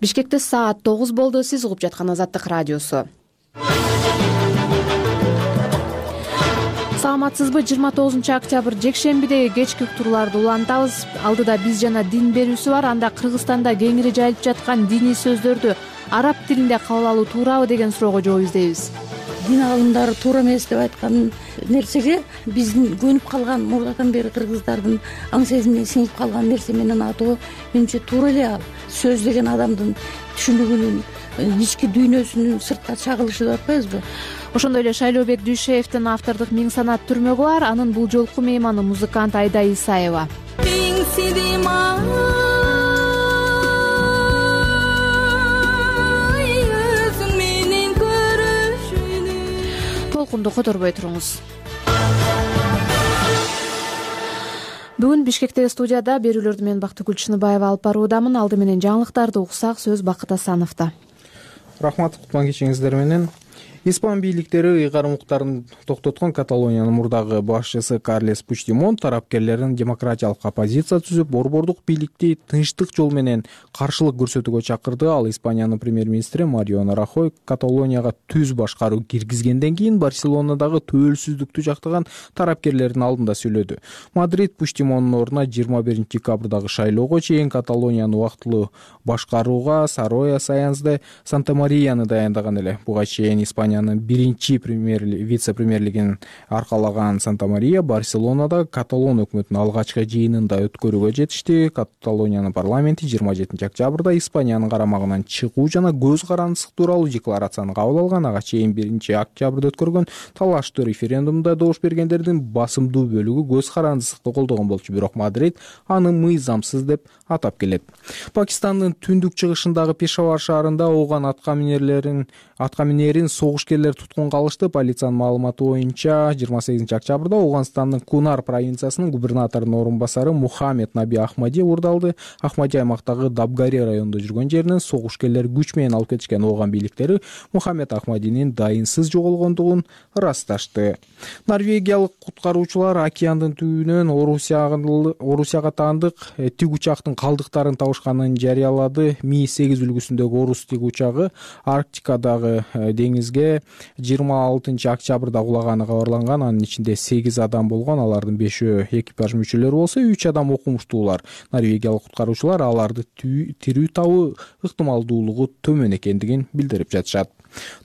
Бишкекте саат 9 болду. Сиз угуп жаткан Азаттык радиосу. Саламатсызбы? 29-октябрь жекшембидеги кечки уктурууларды улантабыз. Алдыда биз жана дин берүүсү бар. Анда Кыргызстанда кеңири жайылып жаткан диний сөздөрдү араб тилинде кабыл алуу туурабы деген суроого жооп издейбиз. Дин аалымдары туура эмес деп айткан нерсеге биздин көнүп калган мурдатан бери кыргыздардын аң сезимине сиңип калган нерсе менен атоо менимче туура эле. Ал сөз деген адамдын түшүнүгүнүн, ички дүйнөсүнүн сыртка чагылышы деп атпайбызбы? Ошондой эле Шайлообек Дүйшеевдин автордук Миң санат түрмөгү бар. Анын бул жолку мейманы музыкант Айда Исаева. Толкунду которбой туруңуз. Бүгүн Бишкектеги студияда берүүлөрдү мен Бактыгүл Чыныбаева алып баруудамын. Алды менен жаңылыктарды уксак, сөз Бакыт Асановдо. Рахмат, кутман кечиңиздер менен. Испан бийликтери ыйгарым укуктарын токтоткон Каталониянын мурдагы башчысы Карлес Пучдемон тарапкерлерин демократиялык оппозиция түзүп, борбордук бийликти тынчтык жол менен каршылык көрсөтүүгө чакырды. Ал Испаниянын премьер-министри Мариано Рахой Каталонияга түз башкаруу киргизгенден кийин Барселонадагы төөлсүздүктү жактаган тарапкерлердин алдында сүйлөдү. Мадрид Пучдемондун ордуна 21 декабрдагы шайлоого чейин Каталонияны убактылуу башкарууга Сароя Саянс де Санта-Марияны даяндаган эле. Буга чейин Испаниянын биринчи вице-премьерлигин аркалаган Санта-Мария Барселонада Каталон өкмөтүнүн алгачкы жыйынында өткөрүүгө жетишти. Каталониянын парламенти 27 октябрда Испаниянын карамагынан чыгуу жана көз карандысык тууралуу декларацияны кабыл алган. Ага чейин 1 октябрда өткөргөн талаштуу референдумда добуш бергендердин басымдуу бөлүгү көз карандысыкты колдогон болчу. Бирок Мадрид аны мыйзамсыз деп атап келет. Пакистандын түндүк чыгышындагы Пешавар шаарында ооган атка минерин согушкерлер туткунга алышты. Полициянын маалыматы боюнча 28 октябрда Ауганстандын Кунар провинциясынын губернаторунун орун басары Мухаммед Наби Ахмади урдалды. Ахмади аймактагы Дабгари районунда жүргөн жеринен согушкерлер күч менен алып кетишкен. Ооган бийликтери Мухаммед Ахмадинин дайынсыз жоголгондугун ырасташты. Норвегиялык куткаруучулар океандын түбүнөн Орусияга таандык тик учактын калдыктарын табышканын жарыялады. Ми-8 үлгүсүндөгү орус тик учагы Арктикадагы деңизге 26 октябрда кулаганы кабарланган. Анын ичинде 8 адам болгон. Алардын 5-өө экипаж мүчөлөрү болсо, 3 адам окумуштуулар. Норвегиялык куткаруучулар аларды тирүү табуу ыктымалдуулугу төмөн экендигин билдирип жатышат.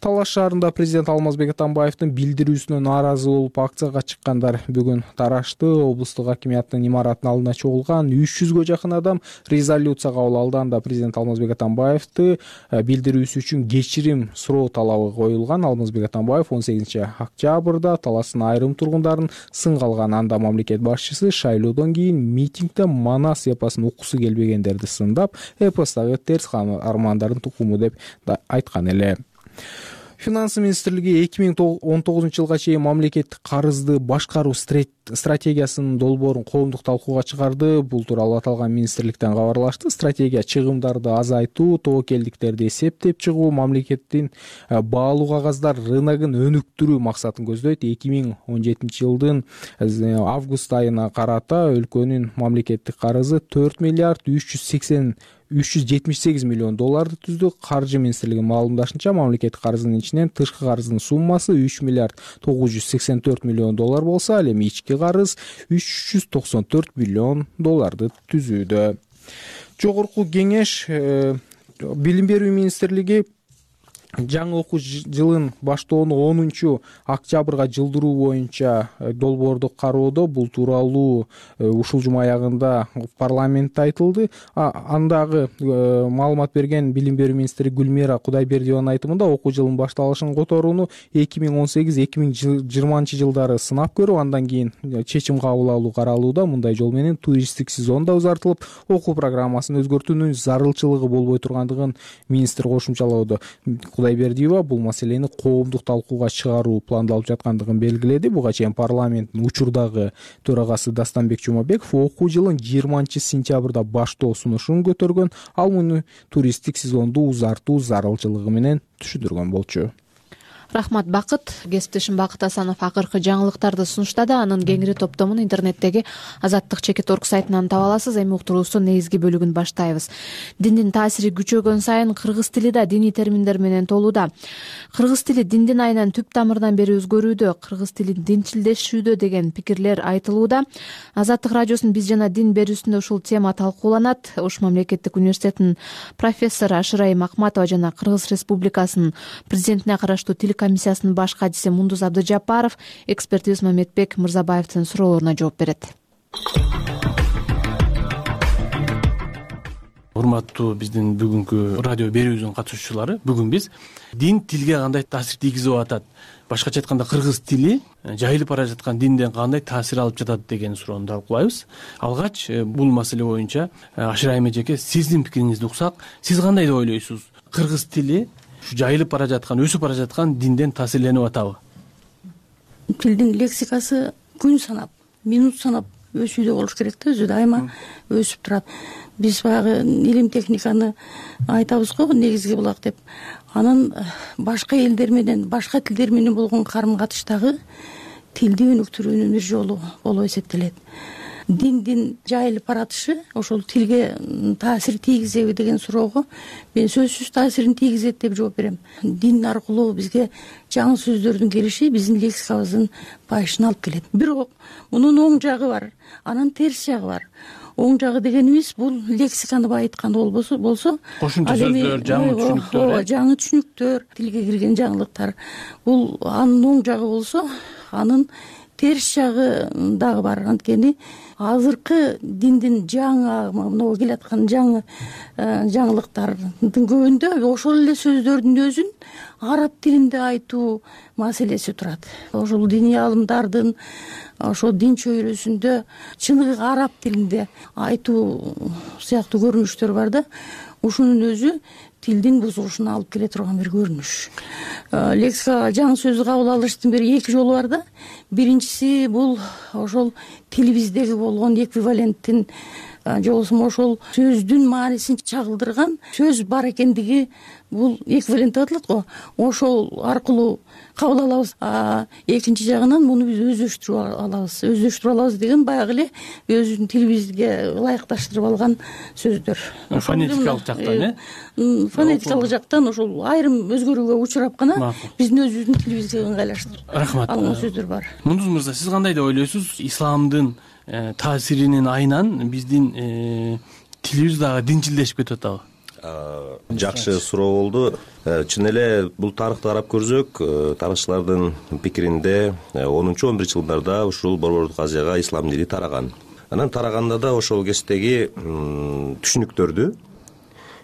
Талаш шаарында президент Алмазбек Атамбаевдин билдирүүсүнө нааразы болуп акцияга чыккандар бүгүн тарашты. Облустук акимияттын имаратынын алдына чогулган 300гө жакын адам резолюция кабыл алды. Анда президент Алмазбек Атамбаевди билдирүүсү үчүн кечирим суроо талабы коюлган. Алмазбек Атамбаев 18 октябрда таластын айрым тургундарын сынга алган. Анда мамлекет башчысы шайлоодон кийин митингде Манас эпосун уккусу келбегендерди сындап, эпостагы терс армандардын тукуму деп айткан эле. Финансы министрлиги 2019 жылга чейин мамлекеттик карызды башкаруу стратегиясынын долбоорун коомдук талкууга чыгарды. Бул тууралуу аталган министрликтен кабарлашты. Стратегия чыгымдарды азайтуу, тобокелдиктерди эсептеп чыгуу, мамлекеттин баалуу кагаздар рыногун өнүктүрүү максатын көздөйт. 2017 жылдын август айына карата өлкөнүн мамлекеттик карызы 4 миллиард 378 миллион долларды түздү. Каржы министрлигинин маалымдашынча, мамлекеттик карыздын ичинен тышкы карыздын суммасы 3 миллиард 984 миллион доллар болсо, ал эми ички карыз 394 миллион долларды түзүүдө. Жогорку кеңеш билим берүү министрлиги жаңы окуу жылын баштоону 10 октябрга жылдыруу боюнча долбоорду кароодо. Бул тууралуу ушул жума аягында парламентте айтылды. Андагы маалымат берген билим берүү министри Гүлмира Кудайбердиеванын айтымында, окуу жылынын башталышын которууну 2018-2020 жылдары сынап көрүп, андан кийин чечим кабыл алуу каралууда. Мындай жол менен туристтик сезон да узартылып, окуу программасын өзгөртүүнүн зарылчылыгы болбой тургандыгын министр кошумчалоодо. Кудайбердиева бул маселени коомдук талкууга чыгаруу пландалып жаткандыгын белгиледи. Буга чейин парламенттин учурдагы төрагасы Дастанбек Жумабеков окуу жылын 20 сентябрда баштоо сунушун көтөргөн. Ал муну туристтик сезонду узартуу зарылчылыгы менен түшүндүргөн болчу. Рахмат, Бакыт. Кесиптешим Бакыт Асанов акыркы жаңылыктарды сунуштады. Анын кеңири топтомун интернеттеги azattik.org сайтынан таба аласыз. Эми уктуруубуздун негизги бөлүгүн баштайбыз. Диндин таасири күчөгөн сайын кыргыз тили да диний терминдер менен толууда. Кыргыз тили диндин айынан түп тамырдан бери өзгөрүүдө, кыргыз тили динчилдешүүдө деген пикирлер айтылууда. Азаттык радиосунун биз жана дин берүүсүндө ушул тема талкууланат. Ош мамлекеттик университетинин профессору Ашырайым Акматова жана Кыргыз Республикасынын президентине караштуу тил комиссиясынын баш катчысы Мундуз Абдыжапаров экспертибиз Мамедбек Мырзабаевдин суроолоруна жооп берет. Урматтуу биздин бүгүнкү радио берүүбүздүн катышуучулары, бүгүн биз дин тилге кандай таасир тийгизип атат, башкача айтканда кыргыз тили жайылып бара жаткан динден кандай таасир алып жатат деген суроону талкуулайбыз. Алгач бул маселе боюнча Ашырайым эжеке, сиздин пикириңизди уксак, сиз кандай деп ойлойсуз? Кыргыз тили жайылып бара жаткан, өсүп бара жаткан динден таасирленип атабы? Тилдин лексикасы күн санап, минут санап өсүүдө болуш керек да, өзү дайыма өсүп турат. Биз баягы илим техниканы айтабыз го, негизги булак деп. Анан башка элдер менен, башка тилдер менен болгон карым-катыштагы тилди өнүктүрүүнүн бир жолу болуп эсептелет. Диндин жайылып баратышы ошол тилге таасир тийгизеби деген суроого мен сөзсүз таасирин тийгизет деп жооп берем. Дин аркылуу бизге жаңы сөздөрдүн келиши биздин лексикабыздын байышына алып келет. Бирок мунун оң жагы бар, анан терс жагы бар. Оң жагы дегенибиз бул лексиканы байыткан болсо, кошумча сөздөр, жаңы түшүнүктөр, жаңы түшүнүктөр, тилге кирген жаңылыктар. Бул анын оң жагы болсо, анын терс жагы дагы бар. Анткени азыркы диндин жаңы, мына келаткан жаңы жаңылыктардын көбүндө ошол эле сөздөрдүн өзүн араб тилинде айтуу маселеси турат. Ошол диний аалымдардын ошол дин чөйрөсүндө чыныгы араб тилинде айтуу сыяктуу көрүнүштөр бар да. Ушунун өзү тилдин бузулушуна алып келе турган бир көрүнүш. Лексика жаңы сөздү кабыл алыштын бир эки жолу бар да. Биринчиси бул ошол тилибиздеги болгон эквиваленттин же болбосо ошол сөздүн маанисин чагылдырган сөз бар экендиги бул эквивалент деп аталат го. Ошол аркылуу кабыл алабыз. Экинчи жагынан муну биз өздөштүрүп алабыз. Өздөштүрүп алабыз деген баягы эле өзүбүздүн тилибизге ылайыкташтырып алган сөздөр. Фонетикалык жактан, фонетикалык жактан ошол айрым өзгөрүүгө учурап гана биздин өзүбүздүн тилибизге ыңгайлаштырып алган сөздөр бар. Мундуз мырза, сиз кандай деп ойлойсуз? Исламдын таасиринин айынан биздин тилибиз дагы динчилдешип кетип атабы? Жакшы суроо болду. Чын эле бул тарыхты карап көрсөк, тарыхчылардын пикиринде 10-11 жылдарда ушул Борбордук Азияга ислам дини тараган. Анан тараганда да ошол кездеги түшүнүктөрдү,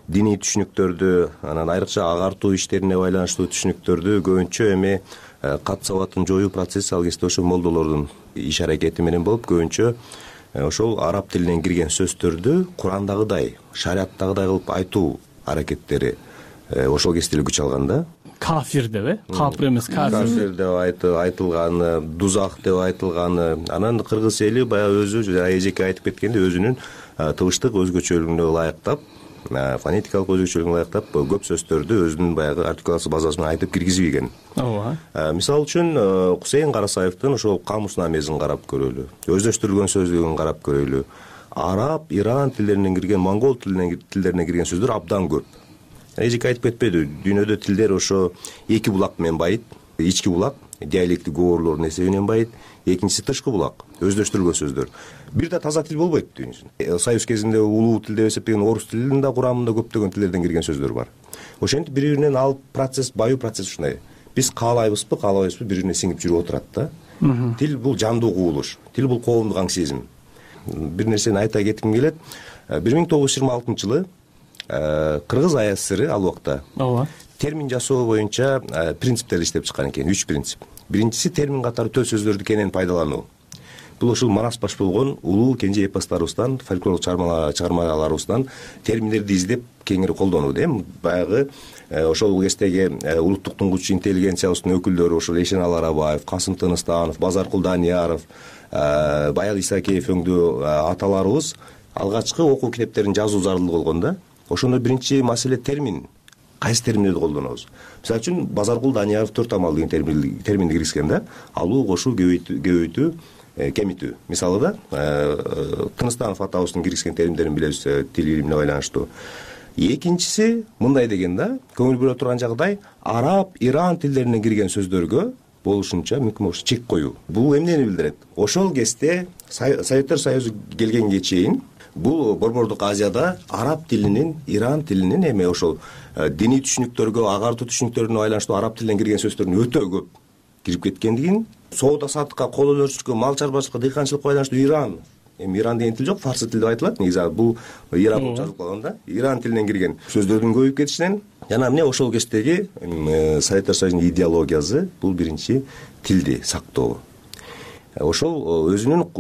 диний түшүнүктөрдү, анан айрыкча агартуу иштерине байланыштуу түшүнүктөрдү көбүнчө эми кат сабатын жоюу процесси ал кезде ошо молдолордун иш аракети менен болуп, көбүнчө ошол араб тилинен кирген сөздөрдү Курандагыдай, шариаттагыдай кылып айтуу аракеттери ошол кезде эле күч алган да. Кафир деп, капыр эмес, кафир деп айтылганы, дузак деп айтылганы. Анан кыргыз эли баягы өзү эжеке айтып кеткендей өзүнүн тыбыштык өзгөчөлүгүнө ылайыктап, фонетикалык өзгөчөлүгүнө ылайыктап көп сөздөрдү өзүнүн баягы артикуляция базасы менен айтып киргизип ийген. Ооба. Мисалы үчүн Кусейин Карасаевдин ошол камуснамесин карап көрөлү, өздөштүрүлгөн сөздүгүн карап көрөлү. Араб, Иран тилдеринен кирген, монгол тилдерине кирген сөздөр абдан көп. Эжеке айтып кетпеди, дүйнөдө тилдер ошо эки булак менен байыт. Ички булак диалектик говорлордун эсебинен байыт, экинчиси тышкы булак, өздөштүрүлгөн сөздөр. Бир да таза тил болбойт дүйнөсүндө. Союз кезинде улуу тил деп эсептеген орус тилинин да курамында көптөгөн тилдерден кирген сөздөр бар. Ошентип бири-биринен алып процесс, баюу процесс ушундай. Биз каалайбызбы, каалабайбызбы, бири-бирине сиңип жүрүп отурат да. Тил бул жандуу кубулуш, тил бул коомдук аң сезим. Бир нерсени айта кетким келет. 1926 жылы Кыргыз АСР ал убакта термин жасоо боюнча принциптерди иштеп чыккан экен, 3 принцип. Биринчиси термин катары төл сөздөрдү кенен пайдалануу. Бул ушул манас баш болгон улуу кенже эпостарыбыздан, фольклорлук чыгармаларыбыздан терминдерди издеп кеңири колдонуу дейм. Баягы ошол кездеги улуттук туңгуч интеллигенциябыздын өкүлдөрү ошол Эшен Аларабаев, Касым Тыныстанов, Базаркул Данияров, Баял Исакеев өңдүү аталарыбыз алгачкы окуу китептерин жазуу зарыл болгон да. Ошондо биринчи маселе термин кайсы терминдерди колдонобуз. Мисалы үчүн Базаркул Данияров 4 амал деген терминди киргизген да. Алуу, кошуу, көбөйтүү, кемитүү. Мисалы да Тыныстанов атабыздын киргизген терминдерин билебиз тил илимине байланыштуу. Экинчиси мындай деген да, көңүл буруу турган жагдай араб, иран тилдеринен кирген сөздөргө болушунча мүмкүн болуш чек коюу. Бул эмнени билдирет? Ошол кезде Советтер Союзу келгенге чейин бул Борбордук Азияда араб тилинин, иран тилинин эми ошол диний түшүнүктөргө, агартуу түшүнүктөрүнө байланыштуу араб тилинен кирген сөздөрдүн өтө көп кирип кеткендигин, соода саттыкка, кол өнөрчүлүккө, мал чарбачылыкка, дыйканчылыкка байланыштуу Иран, эми Иран деген тил жок, фарсы тил деп айтылат. Негизи бул Иран болуп жазылып калган да. Иран тилинен кирген сөздөрдүн көбөйүп кетишинен жана эмне ошол кездеги Советтер Союзунун идеологиясы бул биринчи тилди сактоо. Ошол өзүнүн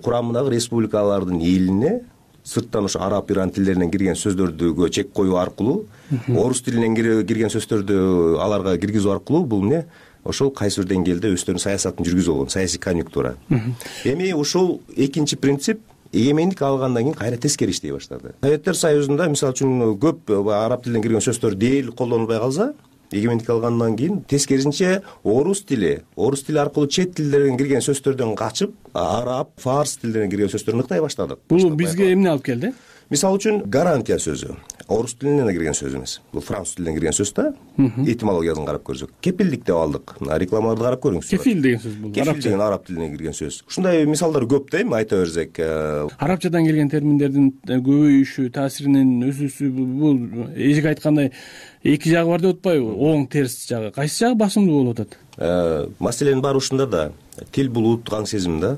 курамындагы республикалардын элине сырттан ошо араб, иран тилдеринен кирген сөздөргө чек коюу аркылуу, орус тилинен кирген сөздөрдү аларга киргизүү аркылуу бул эмне ошол кайсы бир деңгээлде өздөрүнүн саясатын жүргүзүп алган, саясий конъюнктура. Эми ушул экинчи принцип эгемендик алгандан кийин кайра тескери иштей баштады. Советтер Союзунда мисалы үчүн көп араб тилинен кирген сөздөр дээрлик колдонулбай калса, эгемендик алгандан кийин тескерисинче орус тили аркылуу чет тилдерден кирген сөздөрдөн качып, араб, фарс тилдеринен кирген сөздөрдү ыктай баштадык. Бул бизге эмне алып келди? Мисалы үчүн гарантия сөзү орус тилинен кирген сөз эмес. Бул француз тилинен кирген сөз да. Этимологиясын карап көрсөк, кепилдик деп алдык. Рекламаларды карап көрүңүз. Кефил деген сөз бул. Кефил деген араб тилинен кирген сөз. Ушундай мисалдар көп да, эми айта берсек. Арабчадан келген терминдердин көбөйүшү, таасиринин өсүүсү бул эжеге айткандай эки жагы бар деп атпайбы? Оң, терс жагы. Кайсы жагы басымдуу болуп атат? Маселенин баары ушунда да. Тил бул улуттук аң сезим да.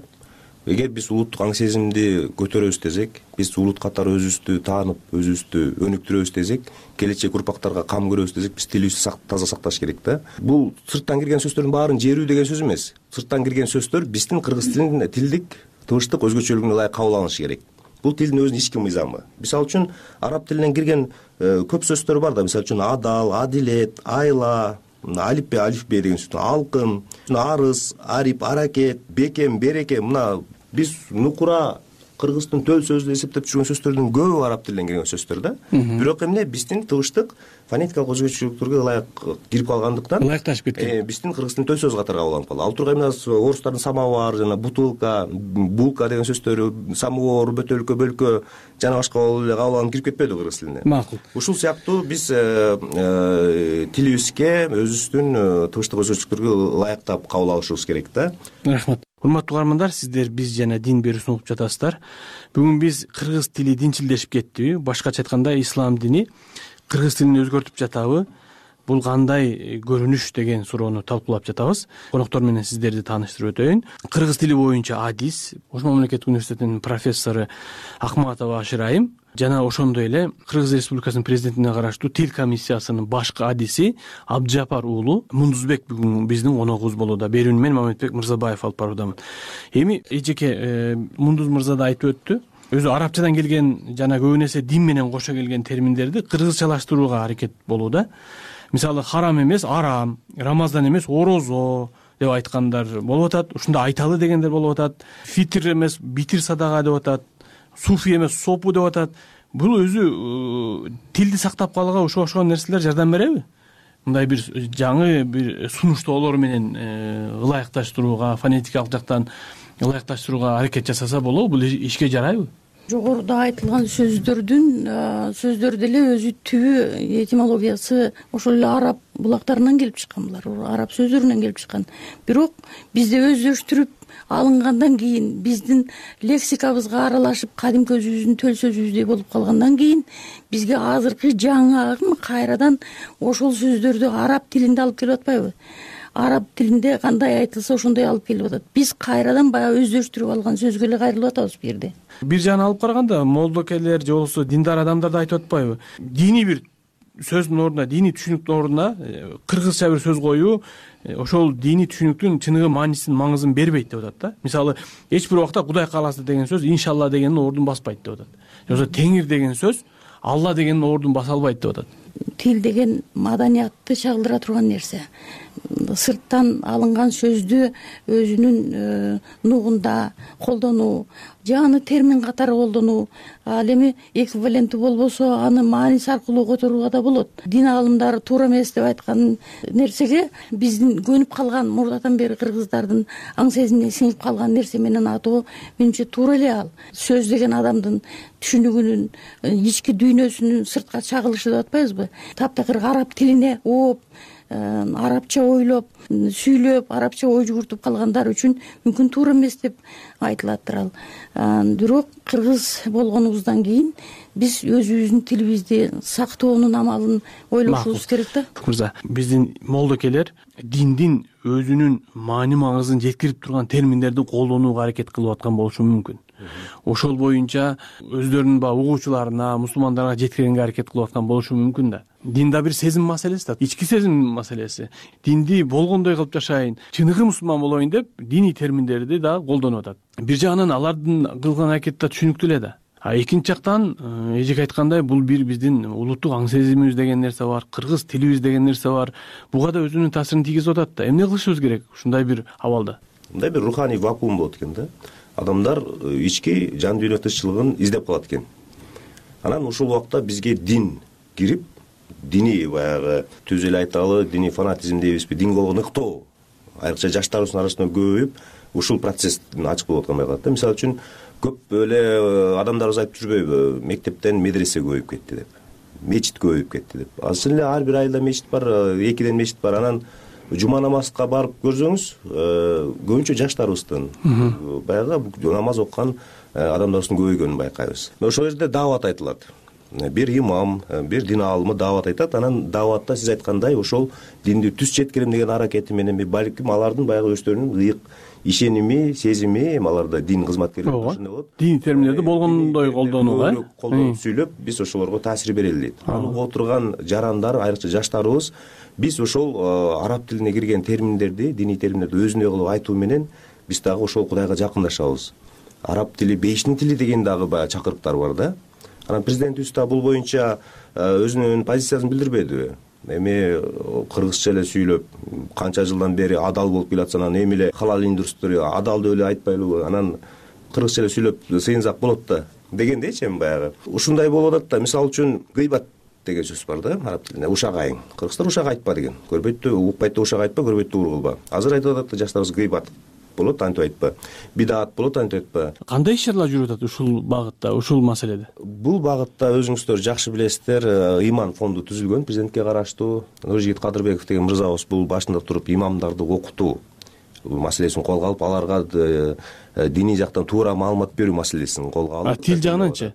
Эгер биз улуттук аң сезимди көтөрөбүз десек, биз улут катары өзүбүздү таанып, өзүбүздү өнүктүрөбүз десек, келечек урпактарга кам көрөбүз десек, биз тилибизди таза сакташ керек да. Бул сырттан кирген сөздөрдүн баарын жерүү деген сөз эмес. Сырттан кирген сөздөр биздин кыргыз тилинин тилдик, тыбыштык өзгөчөлүгүнө ылайык кабыл алынышы керек. Бул тилдин өзүнүн ички мыйзамы. Мисалы үчүн араб тилинен кирген көп сөздөр бар да, мисалы үчүн адал, адилет, айла, алифбе деген сөз, алкын, арыз, арип, аракет, бекем, береке, мына биз нукура кыргыздын төл сөзү деп эсептеп жүргөн сөздөрдүн көбү араб тилинен кирген сөздөр да. Бирок эмне биздин тыбыштык фонетикалык өзгөчөлүктөргө ылайык кирип калгандыктан ылайыкташып кеткен. Биздин кыргыздын төл сөзү катары кабыл алынып калды. Ал тургай эмне орустардын самовар жана бутылка, булка деген сөздөрү, самовар, бөтөлкө, бөлкө жана башка болуп эле кабыл алынып кирип кетпеди кыргыз тилине. Макул. Ушул сыяктуу биз тилибизге өзүбүздүн тыбыштык өзгөчөлүктөргө ылайыктап кабыл алышыбыз керек да. Рахмат. Урматтуу угармандар, сиздер биз жана дин берүүсүн угуп жатасыздар. Бүгүн биз кыргыз тили динчилдешип кеттиби? Башкача айтканда, ислам дини кыргыз тилин өзгөртүп жатабы? Бул кандай көрүнүш деген суроону талкуулап жатабыз. Коноктор менен сиздерди тааныштырып өтөйүн. Кыргыз тили боюнча адис, Ош мамлекеттик университетинин профессору Акматова Ашырайым жана ошондой эле Кыргыз Республикасынын президентине караштуу тил комиссиясынын башкы адиси Абджапар уулу Мундузбек бүгүн биздин коногубуз болууда. Берүүнү мен Мамедбек Мырзабаев алып баруудамын. Эми эжеке Мундуз мырза да айтып өттү. Өзү арабчадан келген жана көбүн эсе дин менен кошо келген терминдерди кыргызчалаштырууга аракет болууда. Мисалы харам эмес арам, рамазан эмес орозо деп айткандар болуп атат. Ушунда айталы дегендер болуп атат. Фитр эмес битир садага деп атат. Суфи эмес сопу деп атат. Бул өзү тилди сактап калууга ошол нерселер жардам береби? Мындай бир жаңы бир сунуштоолор менен ылайыкташтырууга, фонетикалык жактан ылайыкташтырууга аракет жасаса болобу? Бул ишке жарайбы? Жогоруда айтылган сөздөр деле өзү түбү этимологиясы ошол эле араб булактарынан келип чыккан, булар араб сөздөрүнөн келип чыккан. Бирок бизде өздөштүрүп алынгандан кийин, биздин лексикабызга аралашып, кадимки өзүбүздүн төл сөзүбүздөй болуп калгандан кийин бизге азыркы жаңы агым кайрадан ошол сөздөрдү араб тилинде алып келип атпайбы? Араб тилинде кандай айтылса ошондой алып келип атат. Биз кайрадан баягы өздөштүрүп алган сөзгө эле кайрылып атабыз бу жерде. Бир жагын алып караганда молдокелер же болбосо диндар адамдар да айтып атпайбы? Диний бир сөздүн ордуна, диний түшүнүктүн ордуна кыргызча бир сөз коюу ошол диний түшүнүктүн чыныгы маанисин, маңызын бербейт деп атат да. Мисалы, эч бир убакта Кудай кааласа деген сөз иншалла дегендин ордун баспайт деп атат. Же болбосо Теңир деген сөз Алла дегендин ордун баса албайт деп атат. Тил деген маданиятты чагылдыра турган нерсе. сырттан алынган сөздү өзүнүн нугунда колдонуу, жаңы термин катары колдонуу, ал эми эквиваленттүү болбосо аны мааниси аркылуу которууга да болот. Дин аалымдары туура эмес деп айткан нерсеге биздин көнүп калган мурдатан бери кыргыздардын аң сезимине сиңип калган нерсе менен атоо менимче туура эле ал. Сөз деген адамдын түшүнүгүнүн, ички дүйнөсүнүн сыртка чагылышы деп атпайбызбы? Таптакыр араб тилине ооп, арабча ойлоп, сүйлөп, арабча ой жүгүртүп калгандар үчүн мүмкүн туура эмес деп айтылаттыр ал. Бирок кыргыз болгонубуздан кийин биз өзүбүздүн тилибизди сактоонун амалын ойлошубуз керек да. Мырза, биздин молдокелер диндин өзүнүн маани маңызын жеткирип турган терминдерди колдонууга аракет кылып аткан болушу мүмкүн. Ошол боюнча өздөрүнүн угуучуларына, мусулмандарга жеткиргенге аракет кылып аткан болушу мүмкүн да. Дин да бир сезим маселеси да, ички сезим маселеси. Динди болгондой кылып жашайын, чыныгы мусулман болоюн деп диний терминдерди да колдонуп атат. Бир жагынан алардын кылган аракети да түшүнүктүү эле да. Экинчи жактан эжеке айткандай, бул бир биздин улуттук аң сезимибиз деген нерсе бар, кыргыз тилибиз деген нерсе бар. Буга да өзүнүн таасирин тийгизип атат да. Эмне кылышыбыз керек ушундай бир абалда? Мындай бир руханий вакуум болот экен да. Адамдар ички жан дүйнө тынччылыгын издеп калат экен. Анан ушул убакта бизге дин кирип, диний баягы түз эле айталы, диний фанатизм дейбизби, динге болгон ыктоо айрыкча жаштарыбыздын арасында көбөйүп, ушул процесстин ачык болуп аткандай калат да. Мисалы үчүн көп эле адамдарыбыз айтып жүрбөйбү, мектептен медресе көбөйүп кетти деп, мечит көбөйүп кетти деп. Азыр эле ар бир айылда мечит бар, 2ден мечит бар. Анан жума намазга барып көрсөңүз, көбүнчө жаштарыбыздын баягы намаз окуган адамдарыбыздын көбөйгөнүн байкайбыз. Ошол жерде даават айтылат. Бир имам, бир дин аалымы даават айтат. Анан дааватта сиз айткандай ошол динди түз жеткирем деген аракети менен балким алардын баягы өздөрүнүн ыйык ишеними, сезими, аларда дин кызматкерлери ошондой болот. Дин терминдерди болгондой колдонууга, колдонуп сүйлөп, биз ошолорго таасир берели дейт. Ал отурган жарандар, айрыкча жаштарыбыз, биз ошол араб тилине кирген терминдерди, диний терминдерди өзүндөй кылып айтуу менен биз дагы ошол Кудайга жакындашабыз. Араб тили бейиштин тили деген дагы баягы чакырыктар бар да. Анан президентибиз да бул боюнча өзүнүн позициясын билдирбедиби? Эми кыргызча эле сүйлөп, канча жылдан бери адал болуп келатса, анан эми эле халал индустрия адал деп эле айтпайлыбы? Анан кыргызча эле сүйлөп сыйынсак болот да дегендейчи эми баягы. Ушундай болуп атат да. Мисалы үчүн гыйбат деген сөз бар да араб тилинде. Ушак айың. Кыргыздар ушак айтпа деген. Көрбөйт да, укпайт да ушак айтпа, көрбөйт да ур кылба. Азыр айтып атат да жаштарыбыз гыйбат болот, антип айтпа. Бидаат болот, антип айтпа. Кандай ишаралар жүрүп атат ушул багытта, ушул маселеде? Бул багытта өзүңүздөр жакшы билесиздер, иман фонду түзүлгөн президентке караштуу. Нуржигит Кадырбеков деген мырзабыз бул башында туруп имамдарды окутуу маселесин колго алып, аларга диний жактан туура маалымат берүү маселесин колго алып. Тил жагынанчы?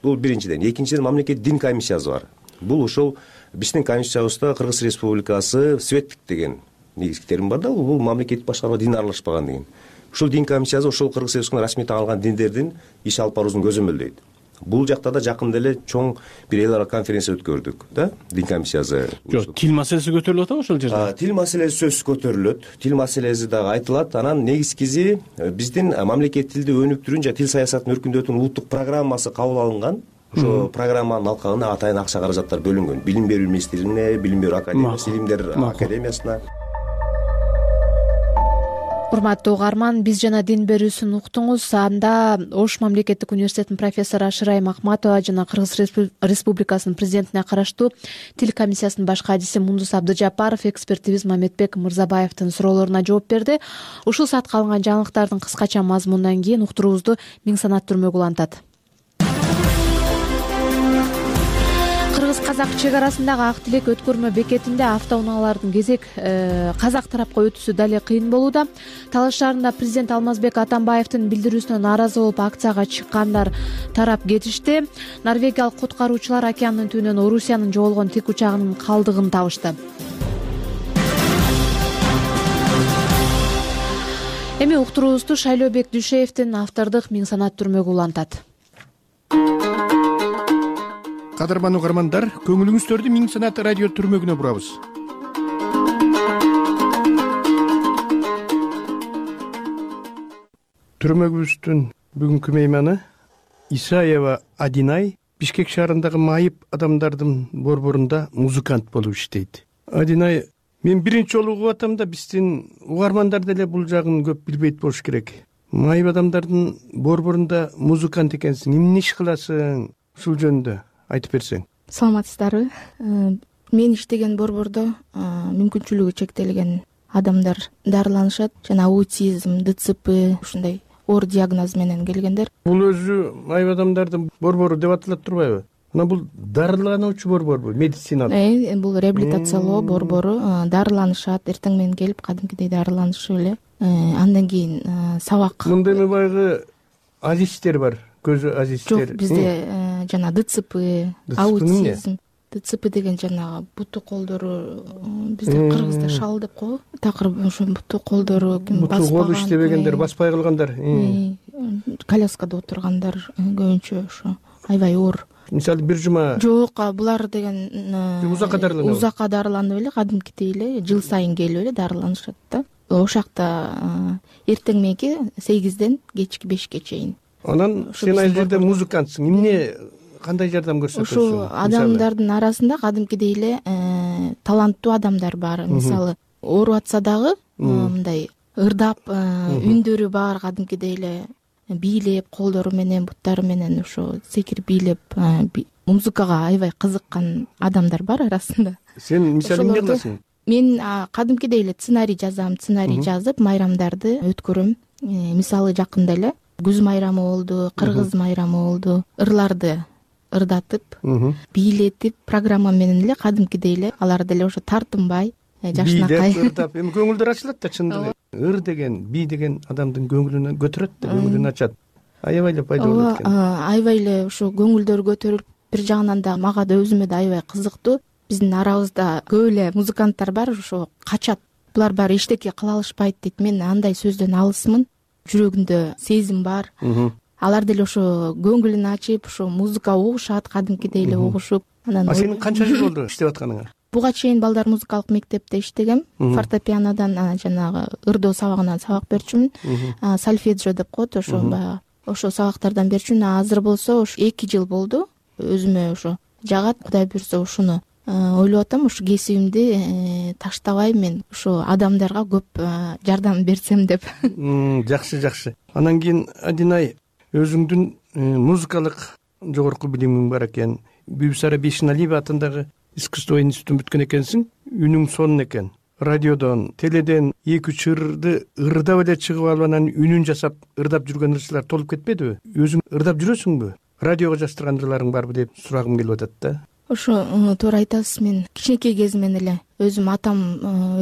Бул биринчиден. Экинчиден, мамлекет дин комиссиясы бар. Бул ошол биздин комиссиябызда Кыргыз Республикасы светтик деген негизги термин бар да, бул мамлекеттик башкарууга дин аралашпаган деген. Ушул дин комиссиясы ошол Кыргыз Республикасынын расмий таанылган диндердин иш алып баруусун көзөмөлдөйт. Бул жакта да жакында эле чоң бир эл аралык конференция өткөрдүк да, дин комиссиясы. Жок, тил маселеси көтөрүлүп атабы ошол жерде? Тил маселеси сөзсүз көтөрүлөт. Тил маселеси дагы айтылат. Анан негизгиси биздин мамлекет тилди өнүктүрүүнү жана тил саясатын өркүндөтүүнүн улуттук программасы кабыл алынган. Ошо программанын алкагында атайын акча каражаттар бөлүнгөн. Билим берүү министрлигине, билим берүү академиясы, илимдер академиясына. Урматтуу угарман, биз жана дин берүүсүн уктуңуз. Анда Ош мамлекеттик университетинин профессору Шырай Макматова жана Кыргыз Республикасынын президентине караштуу тил комиссиясынын баш кадиси Мундус Абдыжапаров экспертибиз Мамедбек Мырзабаевдин суроолоруна жооп берди. Ушул саатка алынган жаңылыктардын кыскача мазмунунан кийин уктуруубузду Миң Санат Түрмөгүл улантат. Кыргыз-казак чек арасындагы Ак Тилек өткөрмө бекетинде автоунаалардын кезек казак тарапка өтүүсү дале кыйын болууда. Талаш шаарында президент Алмазбек Атамбаевдин билдирүүсүнө нааразы болуп акцияга чыккандар тарап кетишти. Норвегиялык куткаруучулар океандын түбүнөн Орусиянын жоголгон тик учагынын калдыгын табышты. Эми уктуруубузду Шайлообек Дүйшеевдин автордук Миң Санат Түрмөгүл улантат. Кадырман угармандар, көңүлүңүздөрдү Миң Санат радио түрмөгүнө бурабыз. Түрмөгүбүздүн бүгүнкү мейманы Исаева Адинай Бишкек шаарындагы майып адамдардын борборунда музыкант болуп иштейт. Адинай мен биринчи жолу угуп атам да, биздин угармандар деле бул жагын көп билбейт болуш керек. Майып адамдардын борборунда музыкант экенсиң, эмне иш кыласың? Ушул жөнүндө айтып берсең. Саламатсыздарбы? Мен иштеген борбордо мүмкүнчүлүгү чектелген адамдар дарыланышат. Жана аутизм, ДЦП ушундай оор диагноз менен келгендер. Бул өзү майып адамдардын борбору деп аталат турбайбы? Мына бул дарылануучу борборбу, медициналык? Бул реабилитациялоо борбору. Дарыланышат, эртең менен келип кадимкидей дарыланышып эле андан кийин сабак. Мында эми баягы азистер бар, көз азистер. Жок, бизде жана ДЦП, аутизм. ДЦП деген жанагы буту колдору, бизде кыргызда шал деп коебу. Такыр ошо буту колдору буту кол иштебегендер, баспай калгандар, коляскада отургандар көбүнчө ошо аябай оор. Мисалы бир жума. Жок, булар деген узакка дарыланат. Узакка дарыланып эле, кадимкидей эле жыл сайын келип эле дарыланышат да. Ошакта эртең мененки 8ден кечки 5ке чейин. Анан сен ал жерде музыкантсың. Эмне, кандай жардам көрсөтөсүң? Ошо адамдардын арасында кадимкидей эле таланттуу адамдар бар. Мисалы, ооруп атса дагы мындай ырдап, үндөрү бар, кадимкидей эле бийлеп, колдору менен, буттары менен ошо секирип бийлеп, музыкага аябай кызыккан адамдар бар арасында. Сен мисалы эмне кыласың? Мен кадимкидей эле сценарий жазам, сценарий жазып, майрамдарды өткөрөм. Мисалы жакында эле күз майрамы болду, кыргыз майрамы болду. Ырларды ырдатып, бийлетип, программа менен эле кадимкидей эле алар деле ошо тартынбай, жашынакай ырдап, эми көңүлдөр ачылат да, чындыгы. Ыр деген, би деген адамдын көңүлүн көтөрөт да, көңүлүн ачат. Аябай эле пайда болот экен. Аябай эле ошо көңүлдөр көтөрүлүп, бир жагынан да мага да өзүмө да аябай кызыктуу. Биздин арабызда көп эле музыканттар бар, ошо качат. Булар баары эчтеке кыла алышпайт дейт. Мен андай сөздөн алысмын. Жүрөгүндө сезим бар. Алар деле ошо көңүлүн ачып, ошо музыка угушат, кадимкидей эле угушуп. Анан сенин канча жыл болду иштеп атканыңа? Буга чейин балдар музыкалык мектепте иштегем. Фортепианодан жанагы ырдоо сабагынан сабак берчүмүн. Сольфеджио деп коет, ошо баягы ошо сабактардан берчүмүн. Азыр болсо ошо 2 жыл болду. Өзүмө ошо жагат, Кудай буйрса ошону ойлоп атам, ошо кесибимди таштабай мен ошо адамдарга көп жардам берсем деп. Жакшы. Анан кийин Адинай, өзүңдүн музыкалык жогорку билимиң бар экен. Бибисара Бейшеналиева атындагы искусство институтун бүткөн экенсиң. Үнүң сонун экен. Радиодон, теледен 2-3 ырды ырдап эле чыгып алып, анан үнүн жасап ырдап жүргөн ырчылар толуп кетпедиби? Өзүң ырдап жүрөсүңбү? Радиого жаздырган ырларың барбы деп сурагым келип атат да. Ошо туура айтасыз. Мен кичинекей кезимден эле өзүм атам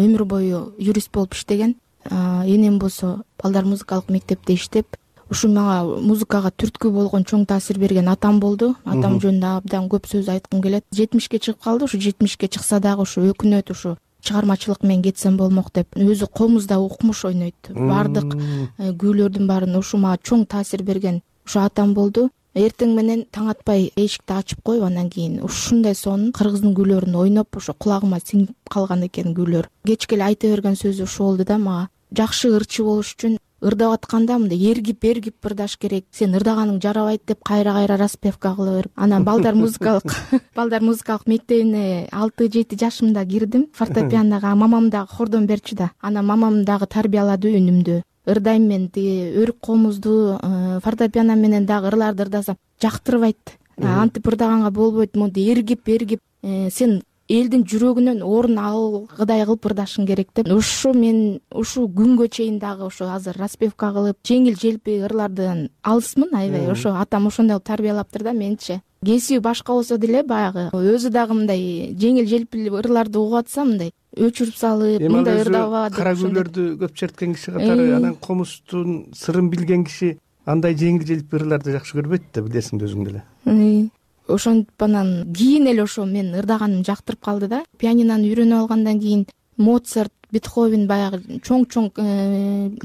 өмүр бою юрист болуп иштеген. Энем болсо балдар музыкалык мектепте иштеп, ушу мага музыкага түрткү болгон, чоң таасир берген атам болду. Атам жөнүндө абдан көп сөз айткым келет. 70ке чыгып калды. Ушу 70ке чыкса дагы ушу өкүнөт, ушу чыгармачылык менен кетсем болмок деп. Өзү комузда укмуш ойнойт. Бардык күүлөрдүн баарын ушу мага чоң таасир берген ушу атам болду. Эртең менен таң атпай эшикти ачып коюп, андан кийин ушундай сонун кыргыздын күүлөрүн ойноп, ошо кулагыма сиңип калган экен күүлөр. Кечке эле айта берген сөзү ушул болду да мага. Жакшы ырчы болуш үчүн ырдап атканда мындай эргип ырдаш керек. Сен ырдаганың жарабайт деп кайра распевка кыла берип. Анан балдар музыкалык мектебине 6-7 жашымда кирдим. Фортепианога мамам дагы хордон берчү да. Анан мамам дагы тарбиялады үнүмдү. Ырдайм мен, өрүк комузду фортепиано менен дагы ырларды ырдасам жактырбайт. Антип ырдаганга болбойт, монтип эргип сен элдин жүрөгүнөн орун алгыдай кылып ырдашың керек деп. Мен ушу күнгө чейин дагы ошо азыр распевка кылып, жеңил желпи ырлардан алысмын аябай. Ошо атам ошондой кылып тарбиялаптыр да менчи. Кесиби башка болсо деле баягы өзү дагы мындай жеңил желпи ырларды угуп атса мындай өчүрүп салып, мындай ырдаба деп. Кара күлөрдү көп черткен киши катары, анан комуздун сырын билген киши андай жеңил желпи ырларды жакшы көрбөйт да, билесиң өзүң деле. Ошентип анан кийин эле ошо мен ырдаганым жактырып калды да. Пианинону үйрөнүп алгандан кийин Моцарт, Бетховен баягы чоң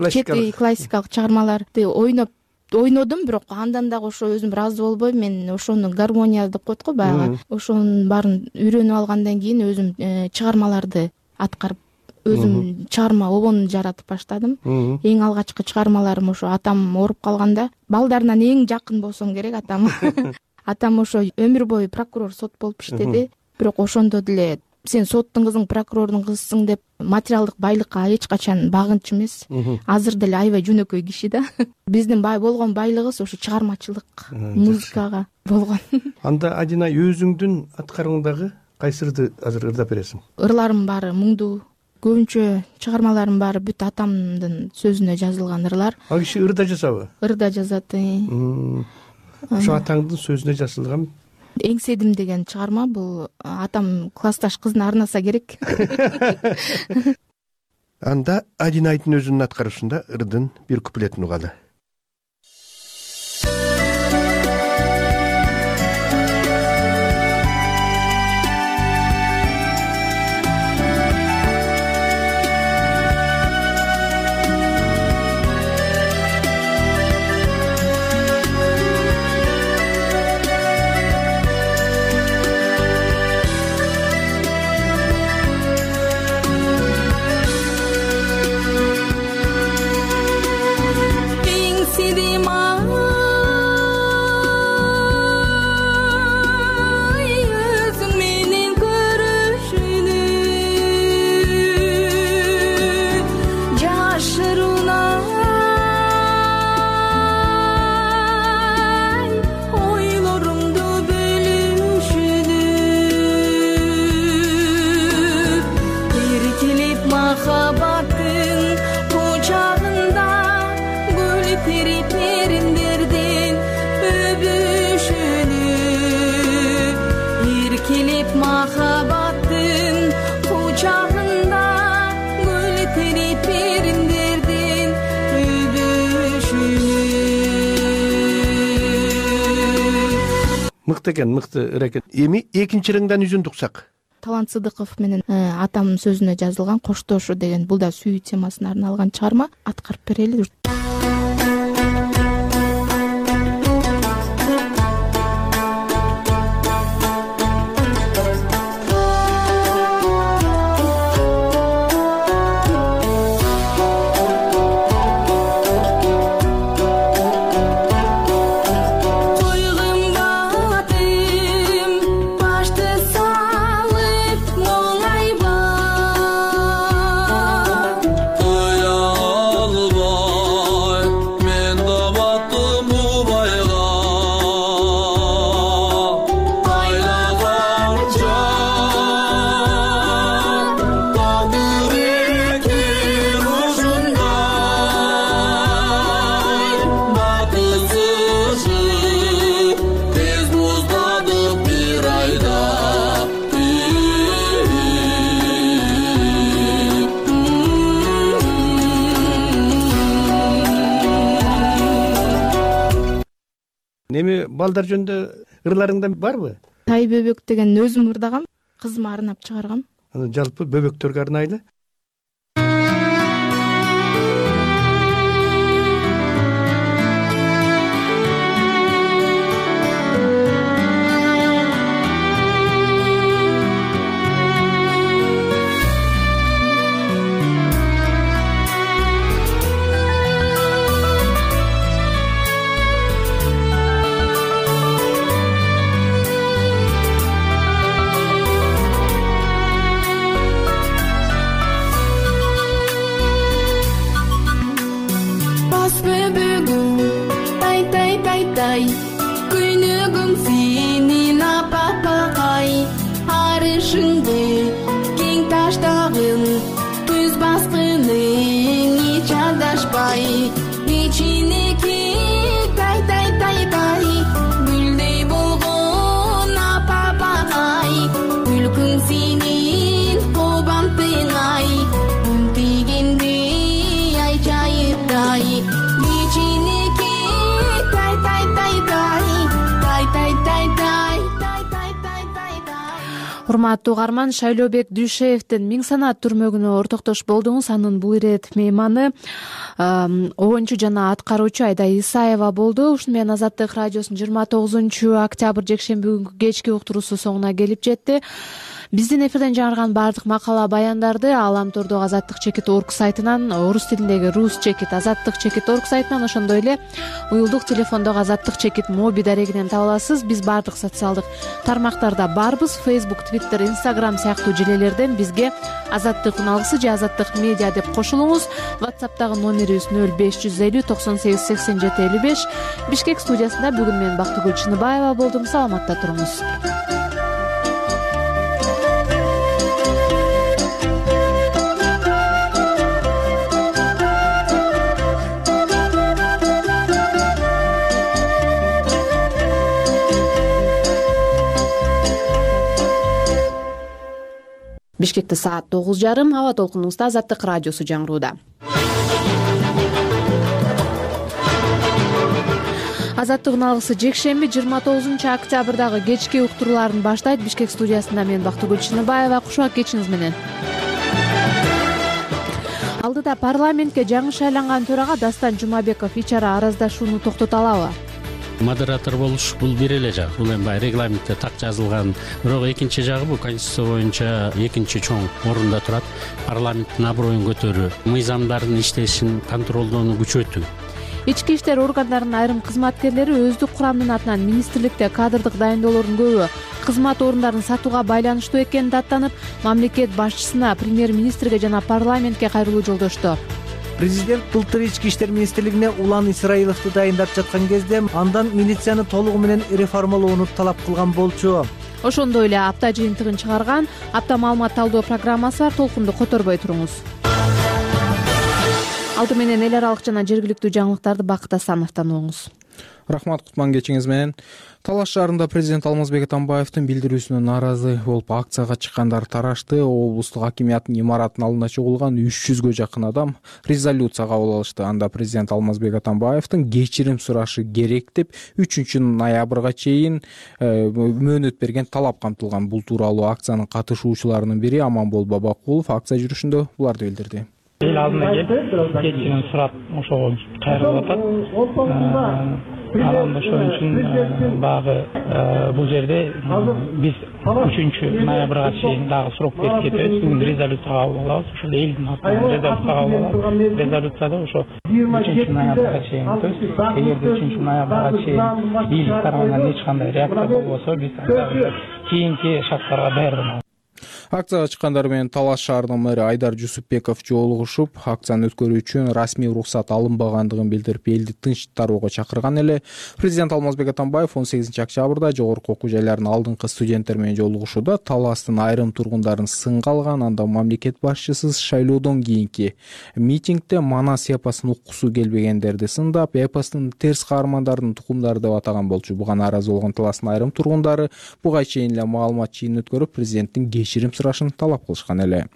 чети классикалык чыгармаларды ойнодум, бирок андан дагы ошо өзүм ыраазы болбой, мен ошону гармония деп коет го баягы. Ошонун баарын үйрөнүп алгандан кийин өзүм чыгармаларды аткарып, өзүм чыгарма обон жаратып баштадым. Эң алгачкы чыгармаларым ошо атам ооруп калганда, балдарынан эң жакын болсом керек атам. Атам ошо өмүр бою прокурор, сот болуп иштеди, бирок ошондо деле сен соттун кызың, прокурордун кызысың деп материалдык байлыкка эч качан багынчу эмес. Азыр деле аябай жөнөкөй киши да. Биздин болгон байлыгыбыз ошо чыгармачылык, музыкага болгон. Анда Адинай, өзүңдүн аткарууңдагы кайсырды азыр ырдап бересиң? Ырларым баары муңдуу. Көбүнчө чыгармаларым баары бүт атамдын сөзүнө жазылган ырлар. Ал киши ырда жазабы? Ырда жазат. Ошо атаңдын сөзүнө жазылган. Эңседим деген чыгарма, бул атам классташ кызына арнаса керек. Анда Адинайдын өзүнүн аткаруусунда ырдын бир куплетин угалы. Мыкты экен, мыкты ырекет. Эми экинчи ырыңдан үзүндү уксак. Талант Сыдыков менен атамдын сөзүнө жазылган Коштошу деген, бул да сүйүү темасына арналган чыгарма. Аткарып берели. Эми балдар жөнүндө ырларыңда барбы? Тай бөбөк деген өзүм ырдагам, кызыма арнап чыгаргам. Аны жалпы бөбөктөргө арнайлы. Күнүгүң сенин апапакай, арышыңды кең таштагын, түз баскының эч адашпай, ичинеки тай, гүлдөй болгон апапакай, күлкүң сенин кубантыңай, күн тийгенде ай чайырдай, Урматтуу угарман, Шайлообек Дүйшеевдин Миң санаат түрмөгүнө ортоктош болдуңуз. Анын бул ирет мейманы оюнчу жана аткаруучу Айда Исаева болду. Ушуну менен Азаттык радиосунун 29 октябрь жекшемби күнкү кечки уктуруусу соңуна келип жетти. Биздин эфирден жаңырган баардык макала баяндарды Аламтордогу Азаттык.org сайтынан, орус тилиндеги Ruschekit Азаттык.org сайтынан, ошондой эле уюлдук телефондогу Азаттык моби дарегинен таба аласыз. Биз баардык социалдык тармактарда барбыз. Facebook, Twitter, Instagram сыяктуу желелерден бизге Азаттык уналгысы же Азаттык медиа деп кошулуңуз. WhatsApp'тагы номерибиз 0550 98 87 55. Бишкек студиясында бүгүн мен Бактыгүл Чыныбаева болдум. Саламатта туруңуз. Бишкекте саат 9:30. Аба толкунубузда Азаттык радиосу жаңырууда. Азаттык алгысы жекшемби 29-октябрдагы кечки уктурууларын баштайт. Бишкек студиясында мен Бактыгүл Чыныбаева. Кушак кечиңиз менен. Алдыда парламентке жаңы шайланган төрага Дастан Жумабеков ичара араздашууну токтото алабы? Модератор болуш бул бир эле жак. Бул эми баягы регламентте так жазылган. Бирок экинчи жагы бул конституция боюнча экинчи чоң орунда турат. Парламенттин аброюн көтөрүү, мыйзамдардын иштешин контролдоону күчөтүү. Ички иштер органдарынын айрым кызматкерлери өздүк курамынын атынан министрликте кадрдык дайындоолордун көбү кызмат орундарын сатууга байланыштуу экенин даттанып, мамлекет башчысына, премьер-министрге жана парламентке кайрылуу жолдошту. Президент былтыр ички иштер министрлигине Улан Исраиловду дайындап жаткан кезде андан милицияны толугу менен реформалоону талап кылган болчу. Ошондой эле апта жыйынтыгын чыгарган апта маалымат талдоо программасы бар. Толкунду которбой туруңуз. Алды менен эл аралык жана жергиликтүү жаңылыктарды Бакыт Асановдон угуңуз. Рахмат, кутман кечиңиз менен. Талаш шаарында президент Алмазбек Атамбаевдин билдирүүсүнө нааразы болуп акцияга чыккандар тарашты. Облустук акимияттын имаратынын алдына чогулган 300гө жакын адам резолюция кабыл алышты. Анда президент Алмазбек Атамбаевдин кечирим сурашы керек деп 3-ноябрга чейин мөөнөт берген талап камтылган. Бул тууралуу акциянын катышуучуларынын бири Аманбол Бабакулов акция жүрүшүндө буларды билдирди. Эл алдына келип кечирим сурап ошого кайрылып атат. Анан ошон үчүн багы бул жерде биз 3-ноябрга чейин дагы срок берип кетебиз. Бүгүн резолюция кабыл алабыз. Ошол элдин атынан резолюция кабыл алабыз. Резолюцияда ошо 3-ноябрга чейин, эгерде 3-ноябрга чейин бийлик тарабынан эч кандай реакция болбосо, биз кийинки шарттарга даярданабыз. Акцияга чыккандар менен Талаш шаарынын мэри Айдар Жусупбеков жолугушуп, акцияны өткөрүү үчүн расмий уруксат алынбагандыгын билдирип, элди тынч тарууга чакырган эле. Президент Алмазбек Атамбаев 18-октябрда жогорку окуу жайларынын алдыңкы студенттер менен жолугушууда Таластын айрым тургундарын сынга алган. Анда мамлекет башчысы шайлоодон кийинки митингде Манас эпосун уккусу келбегендерди сындап, эпостун терс каармандардын тукумдары деп атаган болчу. Буга нааразы болгон Таластын айрым тургундары буга чейин эле маалымат жыйынын өткөрүп, президенттин кечирим сурашын талап кылышкан эле.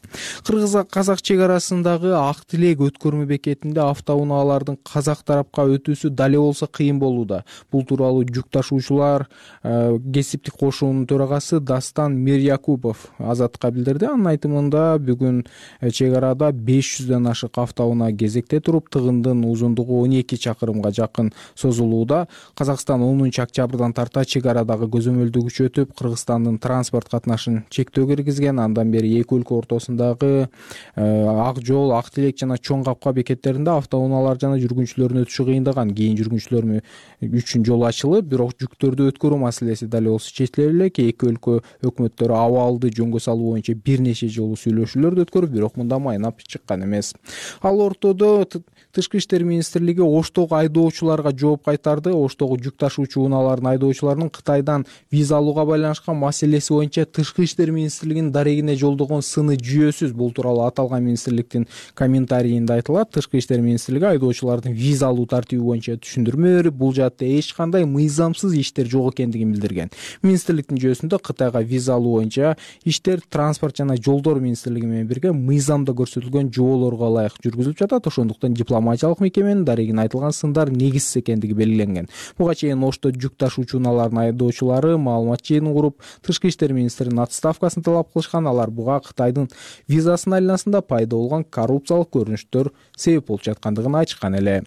Кыргыз-казак чек арасындагы Ак Тилек өткөрмө бекетинде автоунаалардын казак тарапка өтүүсү дале болсо кыйын болууда. Бул тууралуу жүк ташуучулар кесиптик кошуунун төрагасы Дастан Мирякупов Азаттыкка билдирди. Анын айтымында бүгүн чек арада 500дөн ашык автоунаа кезекте туруп, тыгындын узундугу 12 чакырымга жакын созулууда. Казакстан 10-октябрдан тарта чек арадагы көзөмөлдү күчөтүп, Кыргызстандын транспорт катнашын чектөө киргизген. Андан бери эки өлкө ортосундагы Ак Жол, Ак Тилек жана Чоң Капка бекеттеринде автоунаалар жана жүргүнчүлөрдүн өтүшү кыйындаган. Кийин жүргүнчүлөр үчүн жол ачылып, бирок жүктөрдү өткөрүү маселеси дале болсо чечиле элек. Эки өлкө өкмөттөрү абалды жөнгө салуу боюнча бир нече жолу сүйлөшүүлөрдү өткөрүп, бирок мында майнап чыккан эмес. Ал ортодо Тышкы иштер министрлиги Оштогу айдоочуларга жооп кайтарды. Оштогу жүк ташуучу унаалардын айдоочуларынын Кытайдан виза алууга байланышкан маселеси боюнча Тышкы иштер министрлигинин дарегине жолдогон сыны жүйөсүз. Бул тууралуу аталган министрликтин комментарийинде айтылат. Тышкы иштер министрлиги айдоочулардын виза алуу тартиби боюнча түшүндүрмө берип, бул жаатта эч кандай мыйзамсыз иштер жок экендигин билдирген. Министрликтин жүйөсүндө Кытайга виза алуу боюнча иштер транспорт жана жолдор министрлиги менен бирге мыйзамда көрсөтүлгөн жоолорго ылайык жүргүзүлүп жатат. Ошондуктан дипломатиялык мекеменин дарегине айтылган сындар негизсиз экендиги белгиленген. Буга чейин Ошто жүк ташуучу унаалардын айдоочулары маалымат жыйынын куруп, Тышкы иштер министринин отставкасын талап кылышкан. Алар буга Кытайдын визасынын айланасында пайда болгон коррупциялык көрүнүштөр себеп болуп жаткандыгын айтышкан эле.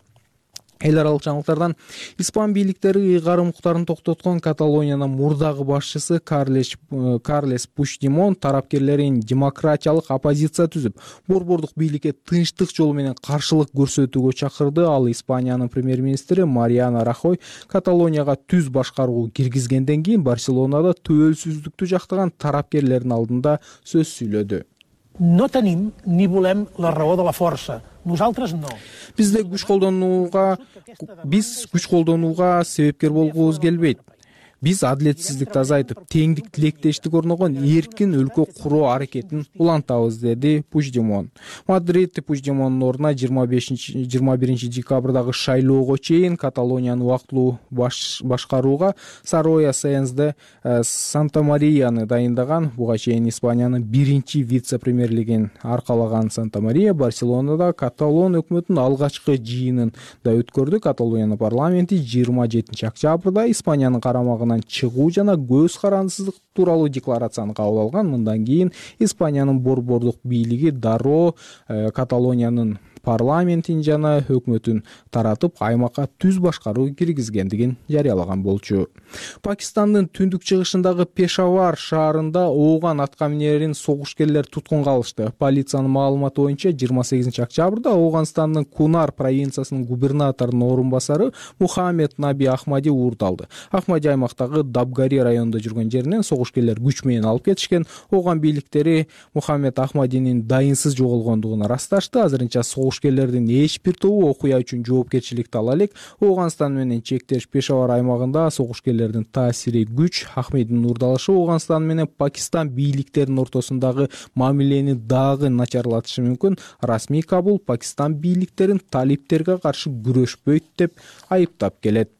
Эл аралык жаңылыктардан испан бийликтери ыйгарым укуктарын токтоткон Каталониянын мурдагы башчысы Карлес Пучдемон тарапкерлерин демократиялык оппозиция түзүп, борбордук бийликке тынчтык жолу менен каршылык көрсөтүүгө чакырды. Ал Испаниянын премьер-министри Мариано Рахой Каталонияга түз башкаруу киргизгенден кийин Барселонада төөлсүздүктү жактаган тарапкерлердин алдында сөз сүйлөдү. No tenim ni volem la raó de la força. Nosaltres no. Бизде күч колдонууга себепкер болгубуз келбейт. Биз адилетсиздикти азайтып, теңдик, тилектештик орногон эркин өлкө куруу аракетин улантабыз, деди Пучдемон. Мадрид Пучдемондун ордуна 21 декабрдагы шайлоого чейин Каталониянын убактылуу башкарууга Сароя Сэенс де Санта-Марияны дайындаган. Буга чейин Испаниянын биринчи вице-премьерлигин аркалаган Санта-Мария Барселонада Каталон өкмөтүнүн алгачкы жыйынын да өткөрдү. Каталониянын парламенти 27 октябрда Испаниянын карамагына чыгуу жана көз карандысыздык тууралуу декларацияны кабыл алган. Мындан кийин Испаниянын борбордук бийлиги дароо Каталониянын парламентин жана өкмөтүн таратып, аймакка түз башкаруу киргизгендигин жарыялаган болчу. Пакистандын түндүк чыгышындагы Пешавар шаарында ооган атка минерин согушкерлер туткунга алышты. Полициянын маалыматы боюнча 28 октябрда Ооганстандын Кунар провинциясынын губернаторунун орун басары Мухаммед Наби Ахмади уурдалды. Ахмади аймактагы Дабгари районунда жүргөн жеринен согушкерлер күч менен алып кетишкен. Ооган бийликтери Мухаммед Ахмадинин дайынсыз жоголгондугун ырасташты. Азырынча согушкерлердин эч бир тобу окуя үчүн жоопкерчиликти ала элек. Ооганстан менен чектеш Пешавар аймагында согушкерлердин таасири күч. Ахмадинин уурдалышы Ооганстан менен Пакистан бийликтеринин ортосундагы мамилени дагы начарлатышы мүмкүн. Расмий Кабул Пакистан бийликтерин талиптерге каршы күрөшпөйт деп айыптап келет.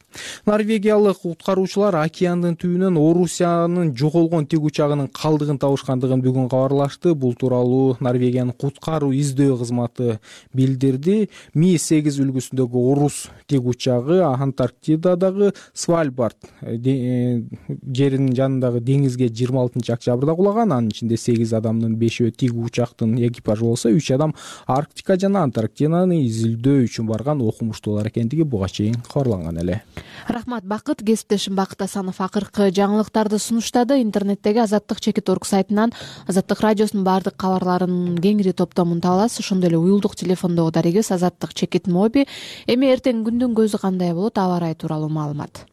Норвегиялык куткаруучулар океандын түбүнөн Орусиянын жоголгон тик учагынын калдыгын табышкандыгын бүгүн кабарлашты. Бул тууралуу Норвегиянын куткаруу издөө кызматы билдирди. Ми-8 үлгүсүндөгү орус тик учагы Антарктидадагы Свальбард жеринин жанындагы деңизге 26 октябрда кулаган. Анын ичинде 8 адамдын 5-өө тик учактын экипажы болсо, 3 адам Арктика жана Антарктиданы изилдөө үчүн барган окумуштуулар экендиги буга чейин кабарланган эле. Рахмат Бакыт. Кесиптешим Бакыт Асанов акыркы жаңылыктарды сунуштады. Интернеттеги Азаттык чекит.орг сайтынан Азаттык радиосунун баардык кабарларынын кеңири топтомун таба аласыз. Ошондой эле уюлдук телефондогу дарегибиз Азаттык чекит моби. Эми эртең күндүн көзү кандай болот, аба ырайы тууралуу маалымат.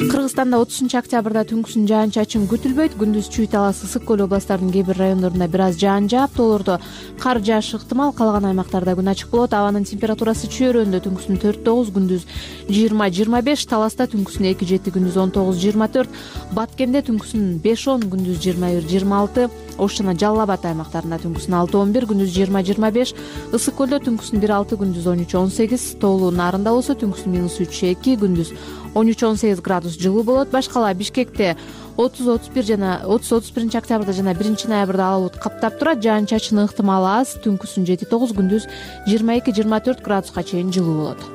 Кыргызстанда 30 октябрда түнкүсүн жаан-чачын күтүлбөйт. Күндүз Чүй-Талас, Ысык-Көл областарынын кээ бир райондорунда бир аз жаан жаап, тоолордо кар жаашы ыктымал. Калган аймактарда күн ачык болот. Абанын температурасы Чөйрөндө түнкүсүн 4-9, күндүз 20-25, Таласта түнкүсүн 2-7, күндүз 19-24, Баткенде түнкүсүн 5-10, күндүз 21-26, Ош жана Жалал Абад аймактарында түнкүсүн 6-11, күндүз 20-25, Ысык-Көлдө түнкүсүн 1-6, күндүз 13-18, Тоолуу Нарында болсо түнкүсүн -3-2, күндүз 13-18 градус жылуу болот. Башкала Бишкекте 30-31 жана 30-31 октябрда жана 1 ноябрда ала булут каптап турат. Жаан-чачын ыктымалы аз. Түнкүсүн 7-9, күндүз 22-24 градуска чейин жылуу болот.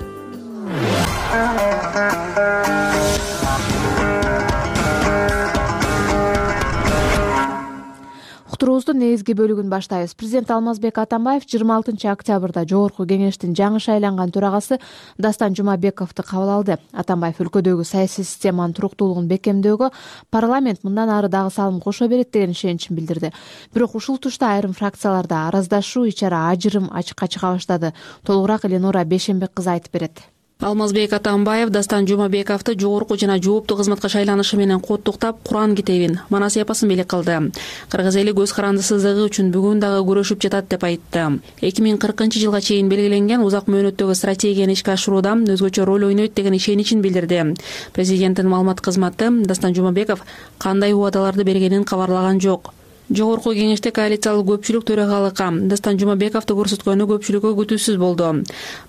Уктуруубуздун негизги бөлүгүн баштайбыз. Президент Алмазбек Атамбаев 26 октябрда Жогорку Кеңештин жаңы шайланган төрагасы Дастан Жумабековду кабыл алды. Атамбаев өлкөдөгү саясий системанын туруктуулугун бекемдөөгө парламент мындан ары дагы салым кошо берет деген ишеничин билдирди. Бирок ушул тушта айрым фракцияларда араздашуу, ичара ажырым ачыкка чыга баштады. Толугураак Эленора Бешенбек кызы айтып берет. Алмазбек Атамбаев Дастан Жумабековду жогорку жана жооптуу кызматка шайланышы менен куттуктап, Куран китебин, манас эпосун белек кылды. Кыргыз эли көз карандысыздыгы үчүн бүгүн дагы күрөшүп жатат деп айтты. 2040 жылга чейин белгиленген узак мөөнөттөгү стратегияны ишке ашырууда өзгөчө роль ойнойт деген ишеничин билдирди. Президенттин маалымат кызматы Дастан Жумабеков кандай убадаларды бергенин кабарлаган жок. Жогорку Кеңеште коалициялык көпчүлүк төрагалыкка Дастан Жумабековду көрсөткөнү көпчүлүккө күтүүсүз болду.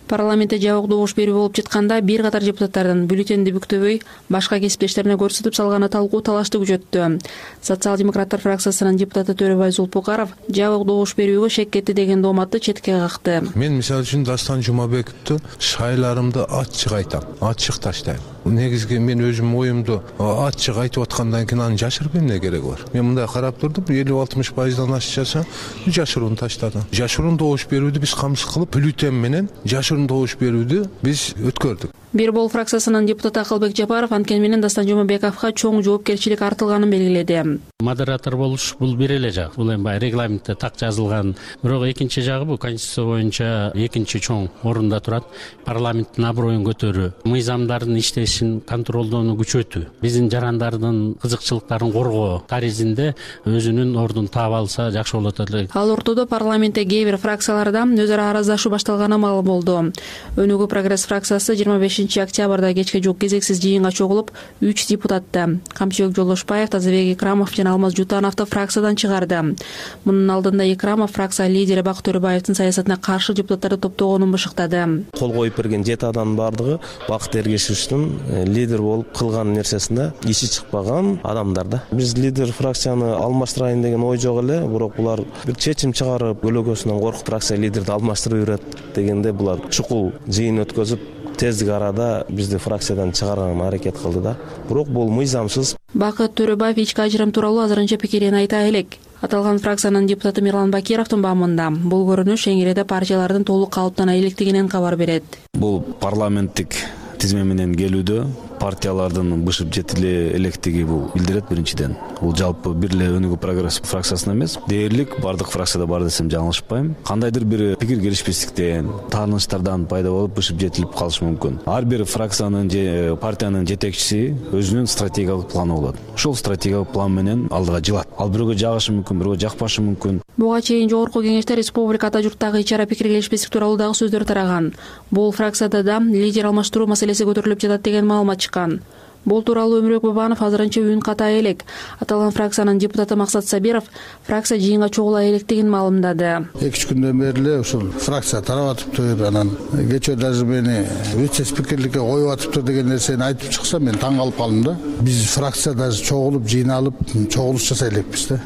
Парламентте жабык добуш берүү болуп жатканда бир катар депутаттардын бюллетенди бүктөбөй башка кесиптештерине көрсөтүп салганы талкуу талашты күчөттү. Социал-демократтар фракциясынын депутаты Төрөбай Зулпукаров жабык добуш берүүгө шек кетти деген дооматты четке какты. Мен мисалы үчүн Дастан Жумабековду шайларымды ачык айтам, ачык таштайм. Негизги мен өзүм оюмду ачык айтып аткандан кийин аны жашырып эмне кереги бар? Мен мындай карап турдум, 50-60% ашчаса жашырууну таштады. Жашыруун добуш берүүдү биз камсыз кылып, бюллетен менен жашыруун айрым добуш берүүдү биз өткөрдүк. Бир Бол фракциясынын депутаты Акылбек Жапаров анткени менен Дастан Жумабековго чоң жоопкерчилик артылганын белгиледи. Модератор болуш бул бир эле жак. Бул эми баягы регламентте так жазылган. Бирок экинчи жагы бул конституция боюнча экинчи чоң орунда турат. Парламенттин аброюн көтөрүү, мыйзамдардын иштешин контролдоону күчөтүү, биздин жарандардын кызыкчылыктарын коргоо таризинде өзүнүн ордун таап алса жакшы болот эле. Ал ортодо парламентте кээ бир фракцияларда өз ара араздашуу башталганы маалым болду. Өнүгүү прогресс фракциясы 25 октябрда кечке жук кезексиз жыйынга чогулуп, 3 депутатты Камчыбек Жолдошбаев, Тазабек Икрамов жана Алмаз Жутановду фракциядан чыгарды. Мунун алдында Икрамов фракция лидери Бакыт Төрөбаевдин саясатына каршы депутаттарды топтогонун бышыктады. Кол коюп берген 7 адамдын бардыгы Бакыт Эргешевичтин лидер болуп кылган нерсесинде иши чыкпаган адамдар да. Биз лидер фракцияны алмаштырайын деген ой жок эле, бирок булар бир чечим чыгарып, өлөгөсүнөн коркуп фракция лидерди алмаштырып берет дегенде булар чукул жыйын өткөзүп тездик арада бизди фракциядан чыгарганга аракет кылды да. Бирок бул мыйзамсыз. Бакыт Төрөбаев ички ажырым тууралуу азырынча пикирин айта элек. Аталган фракциянын депутаты Мирлан Бакировдун баамында бул көрүнүш эңиреде партиялардын толук калыптана электигинен кабар берет. Бул парламенттик тизме менен келүүдө партиялардын бышып жетиле электиги бул билдирет биринчиден. Бул жалпы бир эле Өнүгүү прогресс фракциясына эмес, дээрлик бардык фракцияда бар десем жаңылышпайм. Кандайдыр бир пикир келишпестиктен, тааныштардан пайда болуп бышып жетилип калышы мүмкүн. Ар бир фракциянын же партиянын жетекчиси өзүнүн стратегиялык планы болот. Ошол стратегиялык план менен алдыга жылат. Ал бирөөгө жагышы мүмкүн, бирөөгө жакпашы мүмкүн. Буга чейин жогорку кеңеште республикада журттагы ич ара пикир келишпестик тууралуу дагы сөздөр тараган. Бул фракцияда да лидер алмаштыруу маселеси көтөрүлүп жатат деген маалымат чыккан. Бул тууралуу Өмүрбек Бабанов азырынча үн катай элек. Аталган фракциянын депутаты Максат Сабиров фракция жыйынга чогула электигин маалымдады. 2-3 күндөн бери эле ушул фракция тарап атыптыр, анан кечээ даже мени вице-спикерликке коюп атыптыр деген нерсени айтып чыкса мен таң калып калдым да. Биз фракция даже чогулуп, жыйналып, чогулуш жасай элекпиз да.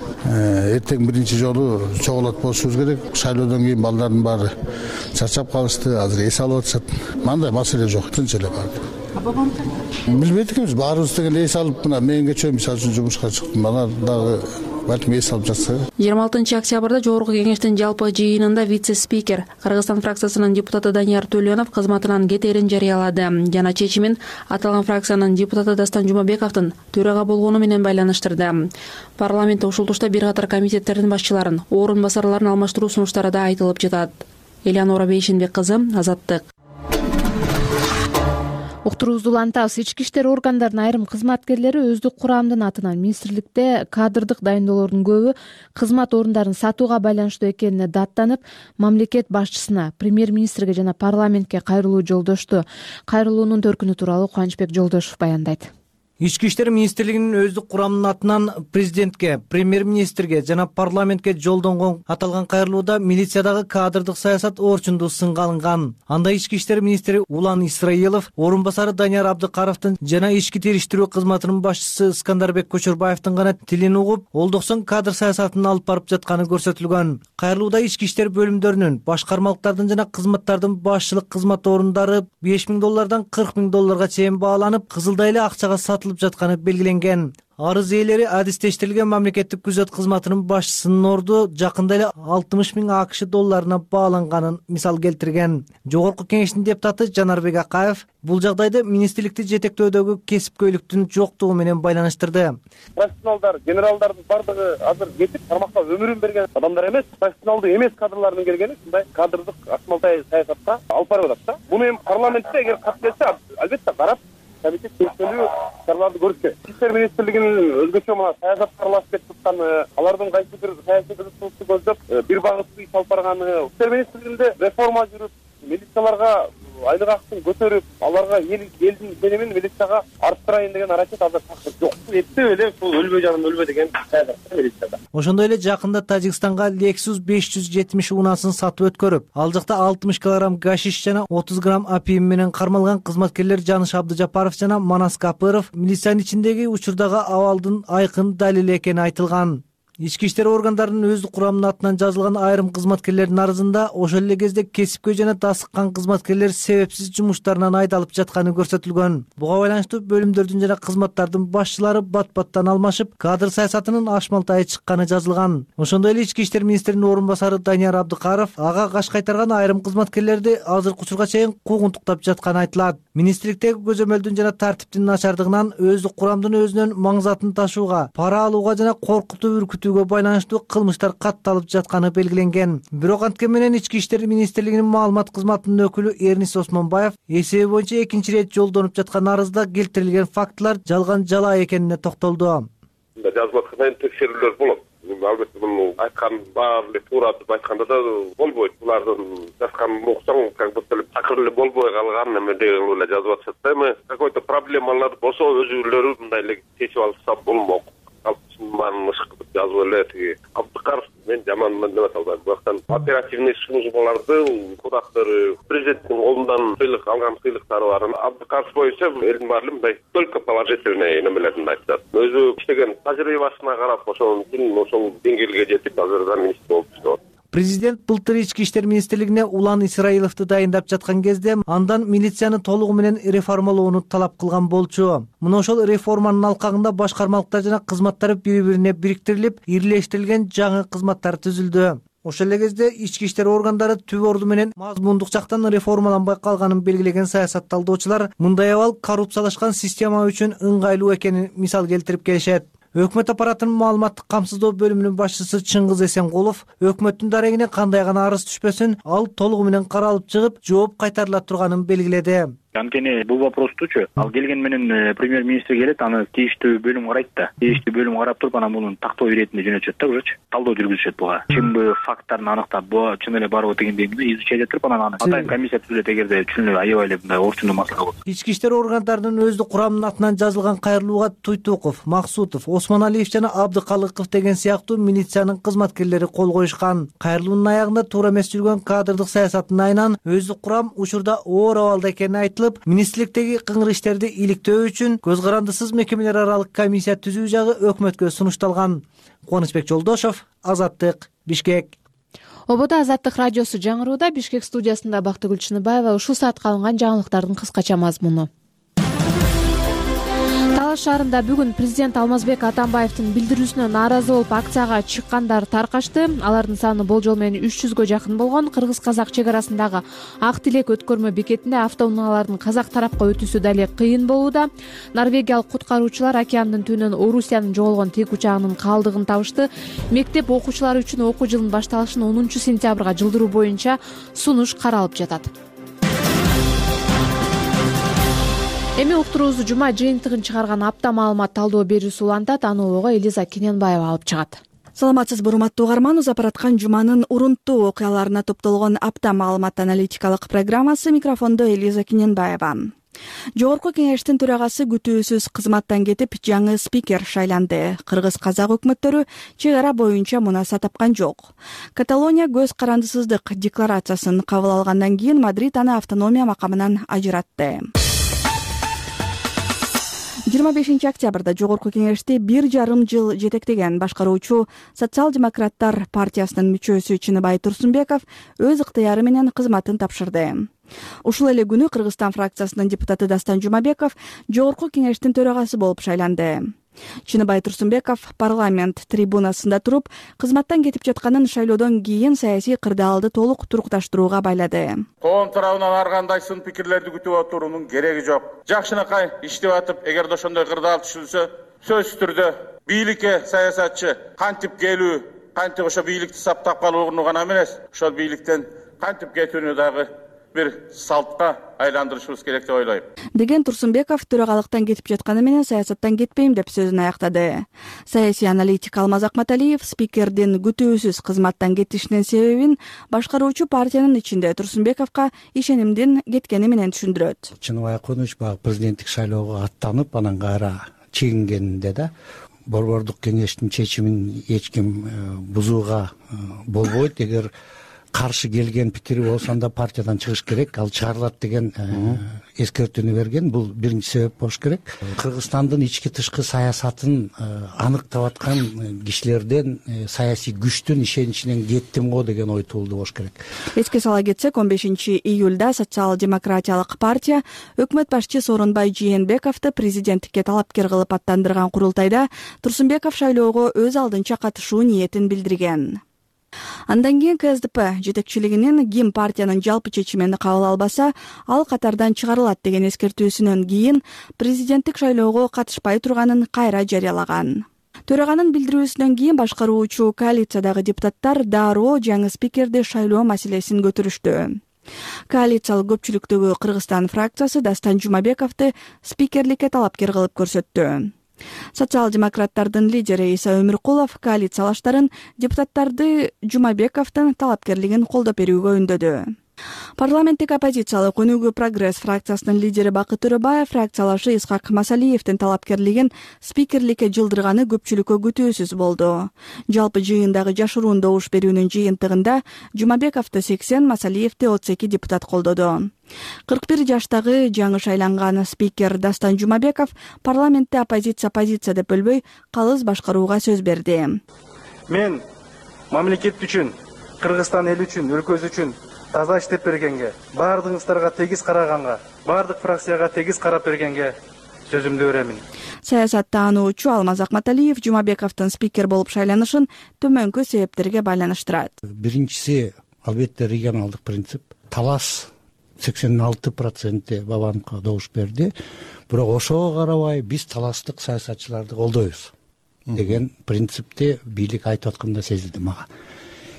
Эртең биринчи жолу чогулат болушубуз керек. Шайлоодон кийин балдардын баары чарчап калышты, азыр эс алып атышат. Мындай маселе жок, тынч эле барды. Билбейт экенбиз, баарыбыз деген эс алып, мына мен кечээ мисалы үчүн жумушка чыктым, ана дагы балким эс алып жатса. 26 октябрда жогорку кеңештин жалпы жыйынында вице-спикер Кыргызстан фракциясынын депутаты Данияр Төлөнов кызматынан кетерин жарыялады жана чечимин аталган фракциянын депутаты Дастан Жумабековдун төрага болгону менен байланыштырды. Парламентте ушул тушта бир катар комитеттердин башчыларын, орун басарларын алмаштыруу сунуштары да айтылып жатат. Элеонора Бейшенбек кызы, Азаттык. Уктуруубузду улантабыз. Ички иштер органдарынын айрым кызматкерлери өздүк курамдын атынан министрликте кадрдык дайындоолордун көбү кызмат орундарын сатууга байланыштуу экенине даттанып, мамлекет башчысына, премьер-министрге жана парламентке кайрылуу жолдошту. Кайрылуунун төркүнү тууралуу Кубанычбек Жолдошов баяндайт. Ички иштер министрлигинин өздүк курамынын атынан президентке, премьер-министрге жана парламентке жолдонгон аталган кайрылууда милициядагы кадрдык саясат орчунду сынга алынган. Анда ички иштер министри Улан Исраилов, орун басары Данияр Абдыкаровдун жана ички териштирүү кызматынын башчысы Искандарбек Көчөрбаевдин гана тилин угуп, олдоксон кадр саясатын алып барып жатканы көрсөтүлгөн. Кайрылууда ички иштер бөлүмдөрүнүн, башкармалыктардын жана кызматтардын башчылык кызмат орундары $5,000 $40,000 чейин бааланып, кызылдай эле акчага сатылып жатканы белгиленген. Арыз ээлери адистештирилген мамлекеттик күзөт кызматынын башчысынын орду жакында эле $60,000 бааланганын мисал келтирген. Жогорку кеңештин депутаты Жанарбек Акаев бул жагдайды министрликти жетектөөдөгү кесипкөйлүктүн жоктугу менен байланыштырды. Профессионалдар, генералдардын бардыгы азыр кетип, тармакка өмүрүн берген адамдар эмес, профессионалдуу эмес кадрлардын келгени ушундай кадрдык акмалтай саясатка алып барып атат да. Буну эми парламентте эгер кат келсе, албетте карап комитет чечкелүү чараларды көрүш керек. Ички иштер министрлигинин өзгөчө мына саясатка аралашып кетип атканы, алардын кайсы бир саясий кызыкчылыкты көздөп бир багыттуу иш алып барганы, ички иштер министрлигинде реформа жүрүп, милицияларга айлык акысын көтөрүп, аларга элдин ишенимин милицияга арттырайын деген аракет азыр такыр жок. Эптеп эле ушул өлбөй жаным өлбө деген саясат милицияда. Ошондой эле жакында Тажикстанга Lexus 570 унасын сатып өткөрүп, ал жакта 60 кг гашиш жана 30 грамм опиум менен кармалган кызматкерлер Жаныш Абдыжапаров жана Манас Капыров милициянын ичиндеги учурдагы абалдын айкын далили экени айтылган. Ички иштер органдарынын өздүк курамынын атынан жазылган айрым кызматкерлердин арызында ошол эле кезде кесипкөй жана тасыккан кызматкерлер себепсиз жумуштарынан айдалып жатканы көрсөтүлгөн. Буга байланыштуу бөлүмдөрдүн жана кызматтардын башчылары бат-баттан алмашып, кадр саясатынын ашмалтайы чыкканы жазылган. Ошондой эле ички иштер министринин орун басары Данияр Абдыкаров ага каш кайтарган айрым кызматкерлерди азыркы учурга чейин куугунтуктап жатканы айтылат. Министрликтеги көзөмөлдүн жана тартиптин начардыгынан өздүк курамдын өзүнөн маңзатын ташууга, пара алууга жана коркутуп үркүтүүгө байланыштуу кылмыштар катталып жатканы белгиленген. Бирок анткен менен ички иштер министрлигинин маалымат кызматынын өкүлү Эрнис Осмонбаев эсеби боюнча экинчи ирет жолдонуп жаткан арызда келтирилген фактылар жалган жалаа экенине токтолду. Жазылып аткандан текшерүүлөр болот. Албетте муну айткан баары эле туура деп айтканда да болбойт. Булардын жазганын уксаң, как будто эле такыр эле болбой калган эме деген эле жазып атышат да. Эми какой-то проблемалар болсо өзүлөрү мындай эле чечип алышса болмок. Алпысман ышкы деп жазып эле тиги Абдыкаров мен жаманмын деп аталбайм. Бирок оперативный службаларды кудактары президенттин колундан сыйлык алган сыйлыктары бар. Абдыкаров боюнча элдин баары мындай только положительный немелерин айтышат. Өзү иштеген тажрыйбасына карап ошол деңгээлге жетип азыр министр болуп иштеп. Президент былтыр ички иштер министрлигине Улан Исраиловду дайындап жаткан кезде андан милицияны толугу менен реформалоону талап кылган болчу. Мына ошол реформанын алкагында башкармалыктар жана кызматтар бири-бирине бириктирилип, ирлештирилген жаңы кызматтар түзүлдү. Ошол эле кезде ички иштер органдары түп орду менен мазмундук жактан реформаланбай калганын белгилеген саясатталдоочулар мындай абал коррупциялашкан система үчүн ыңгайлуу экенин мисал келтирип келишет. Өкмөт аппаратынын маалыматтык камсыздоо бөлүмүнүн башчысы Чыңгыз Эсенкулов өкмөттүн дарегине кандай гана арыз түшпөсүн, ал толугу менен каралып чыгып, жооп кайтарыла турганын белгиледи. Анткени бул вопростучу ал келген менен премьер-министр келет, аны тийиштүү бөлүм карайт да. Тийиштүү бөлүм карап туруп, анан мунун тактоо иретинде жөнөтүшөт да, ужочу. Талдоо жүргүзүшөт буга. Чынбы факттарын аныктап, бу чын эле барбы дегендей изучать этип, анан аны атайын комиссия түзүлөт эгерде чын эле аябай эле мындай орчундуу маселе болсо. Ички иштер органдарынын өздүк курамынын атынан жазылган Кайрылууга Туйтуков, Максутов, Осмоналиев жана Абдыкалыков деген сыяктуу милициянын кызматкерлери кол коюшкан. Кайрылуунун аягында туура эмес жүргөн кадрдык саясаттын айынан өздүк курам учурда оор абалда экени айтылып, министрликтеги кыңыр иштерди иликтөө үчүн көз карандысыз мекемелер аралык комиссия түзүү жагы өкмөткө сунушталган. Кубанычбек Жолдошов, Азаттык, Бишкек. Ободо Азаттык радиосу жаңырууда. Бишкек студиясында Бактыгүл Чыныбаева. Ушул саатка алынган жаңылыктардын кыскача мазмуну. Талаш шаарында бүгүн президент Алмазбек Атамбаевдин билдирүүсүнө нааразы болуп акцияга чыккандар таркашты. Алардын саны болжол менен 300гө жакын болгон. Кыргыз-казак чек арасындагы Ак Тилек өткөрмө бекетинде автоунаалардын казак тарапка өтүүсү дале кыйын болууда. Норвегиялык куткаруучулар океандын түбүнөн Орусиянын жоголгон тек учагынын калдыгын табышты. Мектеп окуучулары үчүн окуу жылынын башталышын 10 сентябрга жылдыруу боюнча сунуш каралып жатат. Эми уктуруубузду жума жыйынтыгын чыгарган апта маалымат талдоо берүүсү улантат. Аны ого Элиза Кененбаева алып чыгат. Саламатсызбы, урматтуу угарман. Узап бараткан жуманын урунттуу окуяларына топтолгон апта маалымат аналитикалык программасы. Микрофондо Элиза Кененбаева. Жогорку кеңештин төрагасы күтүүсүз кызматтан кетип, жаңы спикер шайланды. Кыргыз-казак өкмөттөрү чек ара боюнча мунаса тапкан жок. Каталония көз карандысыздык декларациясын кабыл алгандан кийин Мадрид аны автономия макамынан ажыратты. 25 октябрда Жогорку кеңешти 1,5 жыл жетектеген башкаруучу Социал-демократтар партиясынын мүчөсү Чыныбай Турсунбеков өз ыктыяры менен кызматын тапшырды. Ушул эле күнү Кыргызстан фракциясынын депутаты Дастан Жумабеков Жогорку кеңештин төрагасы болуп шайланды. Чыныбай Турсунбеков парламент трибунасында туруп, кызматтан кетип жатканын шайлоодон кийин саясий кырдаалды толук турукташтырууга байлады. Коом тарабынан ар кандай сын пикирлерди күтүп отуруунун кереги жок. Жакшынакай иштеп атып, эгерде ошондой кырдаал түшүлсө, сөзсүз түрдө бийликке саясатчы кантип келүү, кантип ошо бийликти саптап калууну гана эмес, ошол бийликтен кантип кетүүнү дагы бир салтка айландырышыбыз керек деп ойлойм. Деген Турсунбеков төрагалыктан кетип жатканы менен саясаттан кетпейм деп сөзүн аяктады. Саясий аналитик Алмаз Акматалиев спикердин күтүүсүз кызматтан кетишинин себебин башкаруучу партиянын ичинде Турсунбековго ишенимдин кеткени менен түшүндүрөт. Чыныбай Акунович баягы президенттик шайлоого аттанып, анан кайра чегингенинде да борбордук кеңештин чечимин эч ким бузууга болбойт. Эгер каршы келген пикири болсо анда партиядан чыгыш керек, ал чыгарылат деген эскертүүнү берген. Бул биринчи себеп болуш керек. Кыргызстандын ички тышкы саясатын аныктап аткан кишилерден саясий күчтүн ишеничинен кеттим го деген ой туулду болуш керек. Эске сала кетсек, 15-июлда социал-демократиялык партия өкмөт башчысы Сооронбай Жээнбековду президенттикке талапкер кылып аттандырган курултайда Турсунбеков шайлоого өз алдынча катышуу ниетин билдирген. Андан кийин КСДП жетекчилигинин ким партиянын жалпы чечимин кабыл албаса, ал катардан чыгарылат деген эскертүүсүнөн кийин президенттик шайлоого катышпай турганын кайра жарыялаган. Төраганын билдирүүсүнөн кийин башкаруучу коалициядагы депутаттар дароо жаңы спикерди шайлоо маселесин көтөрүштү. Коалициялык көпчүлүктөгү Кыргызстан фракциясы Дастан Жумабековду спикерликке талапкер кылып көрсөттү. Социал-демократтардын лидери Иса Өмүркулов коалициялаштарын депутаттарды Жумабековдун талапкерлигин колдоп берүүгө үндөдү. Парламенттик оппозициялык Өнүгүү Прогресс фракциясынын лидери Бакыт Төрөбаев фракциялашы Исхак Масалиевдин талапкерлигин спикерликке жылдырганы көпчүлүккө күтүүсүз болду. Жалпы жыйындагы жашыруун добуш берүүнүн жыйынтыгында Жумабековду 80, Масалиевди 32 депутат колдоду. 41 жаштагы жаңы шайланган спикер Дастан Жумабеков парламентте оппозиция деп бөлбөй, калыс башкарууга сөз берди. Мен мамлекет үчүн, Кыргызстан эл үчүн, өлкөбүз үчүн таза иштеп бергенге, баардыгыңыздарга тегиз караганга, баардык фракцияга тегиз карап бергенге сөзүмдү беремин. Саясаттаануучу Алмаз Акматалиев Жумабековдун спикер болуп шайланышын төмөнкү себептерге байланыштырат. Биринчиси албетте регионалдык принцип. Талас 86% Бабановго добуш берди. Бирок ошого карабай биз таластык саясатчыларды колдойбуз деген принципти бийлик айтып атканда сезилди мага.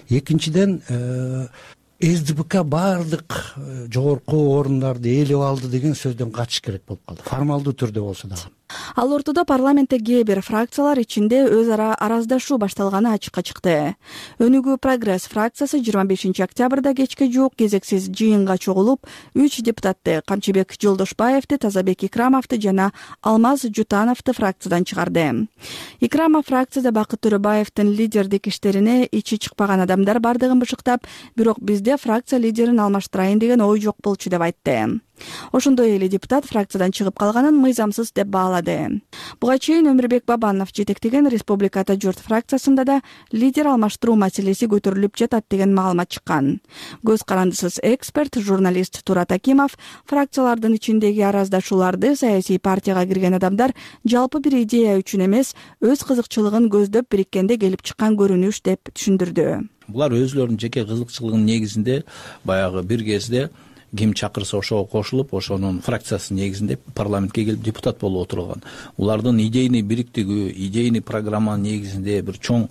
Экинчиден СДПК баардык жогорку орундарды ээлеп алды деген сөздөн качыш керек болуп калды. Формалдуу түрдө болсо дагы. Ал ортодо парламентте кээ бир фракциялар ичинде өз ара араздашуу башталганы ачыкка чыкты. Өнүгүү Прогресс фракциясы 25 октябрда кечке жуук кезексиз жыйынга чогулуп, 3 депутатты Камчыбек Жолдошбаевди, Тазабек Икрамовду жана Алмаз Жутановду фракциядан чыгарды. Икрамов фракцияда Бакыт Төрөбаевдин лидердик иштерине ичи чыкпаган адамдар бардыгын бышыктап, бирок бизде фракция лидерин алмаштырайын деген ой жок болчу деп айтты. Ошондой эле депутат фракциядан чыгып калганын мыйзамсыз деп баалады. Буга чейин Өмүрбек Бабанов жетектеген Республиката журт фракциясында да лидер алмаштыруу маселеси көтөрүлүп жатат деген маалымат чыккан. Көз карандысыз эксперт, журналист Турат Акимов фракциялардын ичиндеги араздашууларды саясий партияга кирген адамдар жалпы бир идея үчүн эмес, өз кызыкчылыгын көздөп бириккенде келип чыккан көрүнүш деп түшүндүрдү. Булар өзүлөрүнүн жеке кызыкчылыгынын негизинде баягы бир кезде ким чакырса ошого кошулуп, ошонун фракциясынын негизинде парламентке келип депутат болуп отурган. Улардын идейный бириктиги, идейный программанын негизинде бир чоң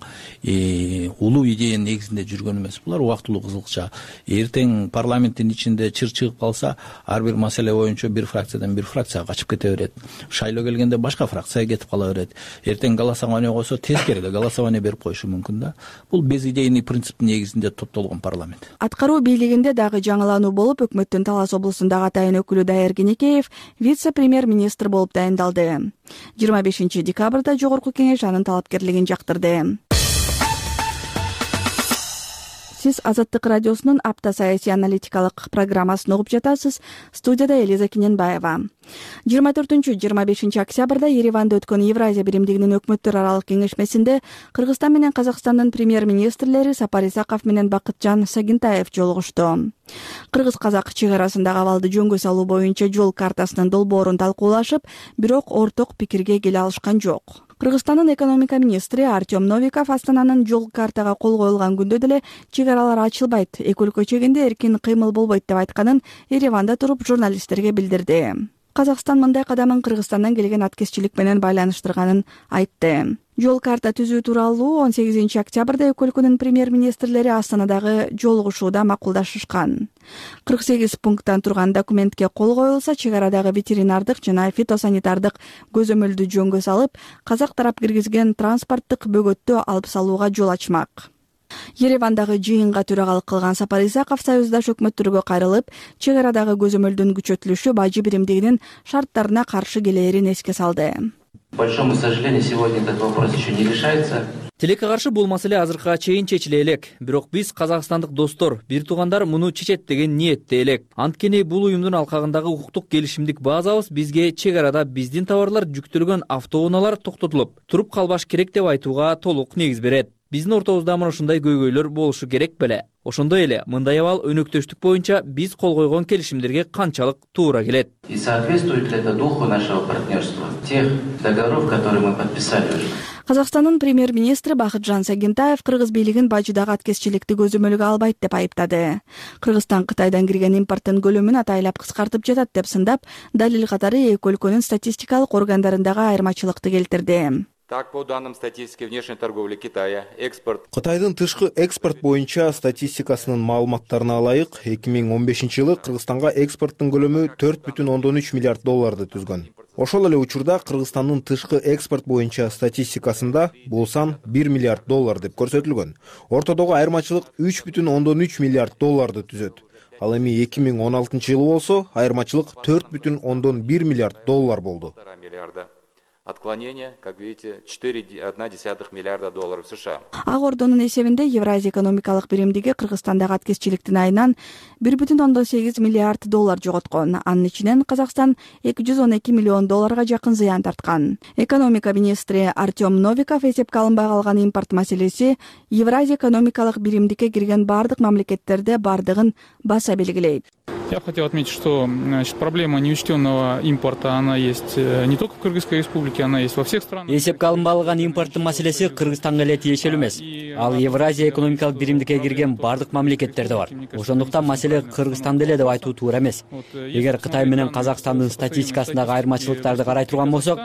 улуу идеянын негизинде жүргөн эмес. Булар убактылуу кызыкча. Эртең парламенттин ичинде чыр чыгып калса, ар бир маселе боюнча бир фракциядан бир фракцияга качып кете берет. Шайлоо келгенде башка фракцияга кетип кала берет. Эртең голосование койсо, тескери эле голосование берип коюшу мүмкүн да. Бул безидейный принциптин негизинде топтолгон парламент. Аткаруу бийлигинде дагы жаңылануу болуп, өкмөт Талас облусундагы атайын өкүлү Дайыр Кенекеев вице-премьер-министр болуп дайындалды. 25 декабрда жогорку кеңеш анын талапкерлигин жактырды. Сиз Азаттык радиосунун апта саясий аналитикалык программасын угуп жатасыз. Студияда Элиза Кененбаева. 24-25 октябрда Ереванда өткөн Евразия биримдигинин өкмөттөр аралык кеңешмесинде Кыргызстан менен Казакстандын премьер-министрлери Сапар Исаков менен Бакытжан Сагинтаев жолугушту. Кыргыз-казак чек арасындагы абалды жөнгө салуу боюнча жол картасынын долбоорун талкуулашып, бирок орток пикирге келе алышкан жок. Кыргызстандын экономика министри Артем Новиков Астананын жол картага кол коюлган күндө деле чек аралар ачылбайт, эки өлкө чегинде эркин кыймыл болбойт деп айтканын Ереванда туруп журналисттерге билдирди. Казакстан мындай кадамын Кыргызстандан келген аткезчилик менен байланыштырганын айтты. Жол карта түзүү тууралуу 18 октябрда эки өлкөнүн премьер-министрлери Астанадагы жолугушууда макулдашышкан. 48 пункттан турган документке кол коюлса, чек арадагы ветеринардык жана фитосанитардык көзөмөлдү жөнгө салып, казак тарап киргизген транспорттук бөгөттү алып салууга жол ачмак. Еревандагы жыйынга төрагалык кылган Сапар Исаков союздаш өкмөттөргө кайрылып, чек арадагы көзөмөлдүн күчөтүлүшү бажы биримдигинин шарттарына каршы келээрин эске салды. К большому сожалению, сегодня этот вопрос еще не решается. Тилекке каршы бул маселе азыркыга чейин чечиле элек. Бирок биз казакстандык достор, бир туугандар муну чечет деген ниетте элек. Анткени бул уюмдун алкагындагы укуктук келишимдик базабыз бизге чек арада биздин товарлар жүктөлгөн автоунaalар токтотулуп туруп калбаш керек деп айтууга толук негиз берет. Биздин ортобузда мына ушундай көйгөйлөр болушу керек беле. Ошондой эле мындай абал өнөктөштүк боюнча биз кол койгон келишимдерге канчалык туура келет. И соответствует ли это духу нашего партнерства, тех договоров, которые мы подписали уже? Казакстандын премьер-министри Бакытжан Сагентаев кыргыз бийлигин бажыдагы аткезчиликти көзөмөлгө албайт деп айыптады. Кыргызстан Кытайдан кирген импорттун көлөмүн атайлап кыскартып жатат деп сындап, далил катары эки өлкөнүн статистикалык органдарындагы айырмачылыкты келтирди. Так, по данным статистики внешней торговли Китая, экспорт... Кытайдын тышкы экспорт боюнча статистикасынын маалыматтарына ылайык, 2015-жылы Кыргызстанга экспорттун көлөмү 4,3 миллиард долларды түзгөн. Ошол эле учурда Кыргызстандын тышкы экспорт боюнча статистикасында бул сан 1 миллиард доллар деп көрсөтүлгөн. Ортодогу айырмачылык 3,3 миллиард долларды түзөт. Ал эми 2016-жылы болсо айырмачылык 4,1 миллиард доллар болду. Отклонение, как видите, 4,1 миллиарда долларов США. Ак Ордонун эсебинде Евразия экономикалык биримдиги Кыргызстандагы аткезчиликтин айынан 1,8 миллиард доллар жоготкон. Анын ичинен Казакстан 212 миллион долларга жакын зыян тарткан. Экономика министри Артем Новиков эсепке алынбай калган импорт маселеси Евразия экономикалык биримдикке кирген бардык мамлекеттерде бардыгын баса белгилейт. Я бы хотел отметить, что проблема неучтенного импорта, она есть не только в Кыргызской республике, она есть во всех странах. Эсепке алынбаган импорттун маселеси Кыргызстанга эле тиешелүү эмес. Ал Евразия экономикалык биримдикке кирген бардык мамлекеттерде бар. Ошондуктан маселе Кыргызстанда эле деп айтуу туура эмес. Эгер Кытай менен Казакстандын статистикасындагы айырмачылыктарды карай турган болсок,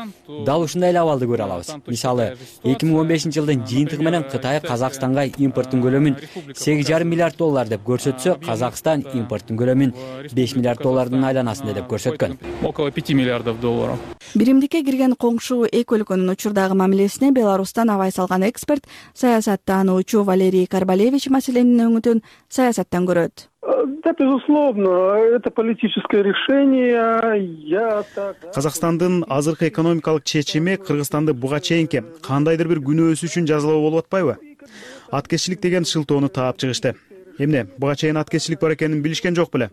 дал ушундай эле абалды көрө алабыз. Мисалы, 2015-жылдын жыйынтыгы менен Кытай Казакстанга импорттун көлөмүн 8,5 миллиард доллар деп көрсөтсө, Казакстан импорттун көлөмүн 5 миллиард доллардын айланасында деп көрсөткөн. Около 5 миллиардов долларов. Биримдикке кирген коңшу эки өлкөнүн учурдагы мамилесине Беларустан абай салган эксперт, саясаттануучу Валерий Карбалевич маселенин өңүтүн саясаттан көрөт. Да, безусловно, это политическое решение. Казакстандын азыркы экономикалык чечими Кыргызстанды буга чейинки кандайдыр бир күнөөсү үчүн жазалоо болуп атпайбы? Аткезчилик деген шылтоону таап чыгышты. Эмне, буга чейин аткезчилик бар экенин билишкен жок беле?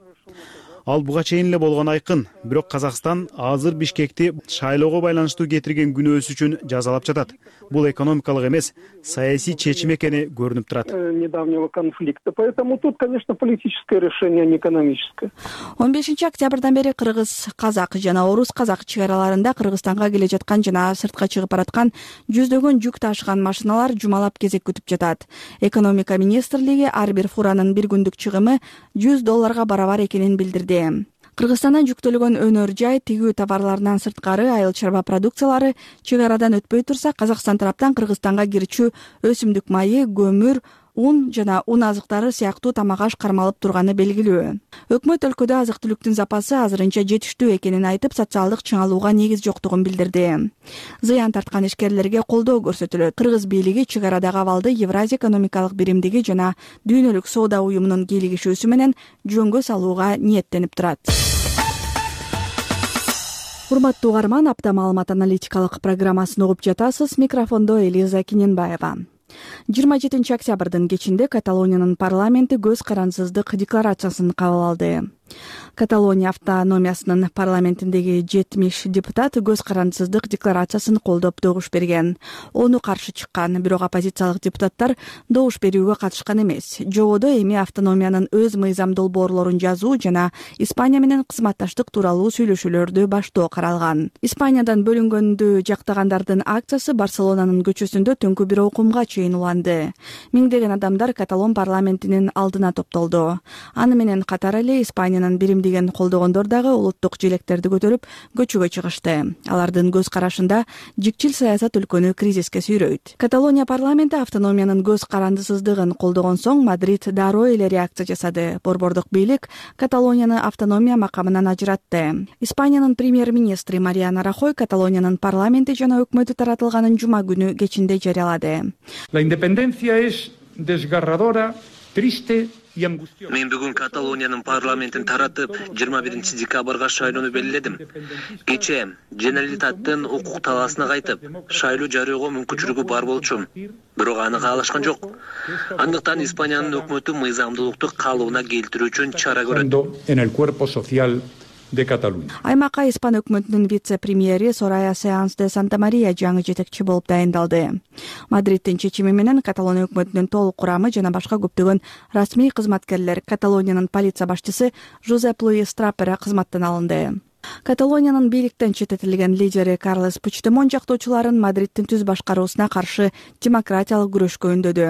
Ал буга чейин эле болгон айкын. Бирок Казакстан азыр Бишкекти шайлоого байланыштуу кетирген күнөөсү үчүн жазалап жатат. Бул экономикалык эмес, саясий чечим экени көрүнүп турат. Недавнего конфликта. Поэтому тут, конечно, политическое решение, а не экономическое. 15 октябрдан бери кыргыз, казак жана орус казак чек араларында Кыргызстанга келе жаткан жана сыртка чыгып бараткан жүздөгөн жүк ташыган машиналар жумалап кезек күтүп жатат. Экономика министрлиги ар бир фуранын бир күндүк чыгымы $100 барабар экенин билдирди. Кыргызстандан жүктөлгөн өнөр жай, тигүү товарларынан сырткары айыл чарба продукциялары чек арадан өтпөй турса, Казакстан тараптан Кыргызстанга кирчү өсүмдүк майы, көмүр, ун жана ун азыктары сыяктуу тамак аш кармалып турганы белгилүү. Өкмөт өлкөдө азык-түлүктүн запасы азырынча жетиштүү экенин айтып, социалдык чыңалууга негиз жоктугун билдирди. Зыян тарткан ишкерлерге колдоо көрсөтүлөт. Кыргыз бийлиги чек арадагы абалды Евразия экономикалык биримдиги жана Дүйнөлүк соода уюмунун кийлигишүүсү менен жөнгө салууга ниеттенип турат. Урматтуу угарман, апта маалымат аналитикалык программасын угуп жатасыз. Микрофондо Элиза Киненбаева. 27 октябрдын кечинде Каталониянын парламенти көз карансыздык декларациясын кабыл алды. Каталония автономиясынын парламентиндеги 70 депутат көз карансыздык декларациясын колдоп добуш берген. Ону каршы чыккан, бирок оппозициялык депутаттар добуш берүүгө катышкан эмес. Жободо эми автономиянын өз мыйзам долбоорлорун жазуу жана Испания менен кызматташтык тууралуу сүйлөшүүлөрдү баштоо каралган. Испаниядан бөлүнгөндү жактагандардын акциясы Барселонанын көчөсүндө түнкү бир окумга чейин уланды. Миңдеген адамдар Каталон парламентинин алдына топтолду. Аны менен катар эле Испаниянын биримдигин колдогондор дагы улуттук желектерди көтөрүп көчөгө чыгышты. Алардын көз карашында жикчил саясат өлкөнү кризиске сүйрөйт. Каталония парламенти автономиянын көз карандысыздыгын колдогон соң Мадрид дароо эле реакция жасады. Борбордук бийлик Каталонияны автономия макамынан ажыратты. Испаниянын премьер-министри Мариана Рахой Каталониянын парламенти жана өкмөтү таратылганын жума күнү кечинде жарыялады. La independencia es desgarradora, triste Мен бүгүн Каталониянын парламентин таратып, 21 декабрга шайлоону белгиледим. Кечээ Женералитаттын укук талаасына кайтып, шайлоо жарыягоо мүмкүнчүлүгү бар болчу. Бирок аны каалашкан жок. Андыктан Испаниянын өкмөтү мыйзамдуулукту калыбына келтирүү үчүн чара көрөт. Аймакка Испан өкмөтүнүн вице-премьери Сорая Сеанс де Санта Мария жаңы жетекчи болуп дайындалды. Мадридтин чечими менен Каталония өкмөтүнүн толук курамы жана башка көптөгөн расмий кызматкерлер Каталониянын полиция башчысы Жозеп Луис Трапера кызматтан алынды. Каталониянын бийликтен четтетилген лидери Карлес Пучдемон жактоочуларын Мадридтин түз башкаруусуна каршы демократиялык күрөшкө үндөдү.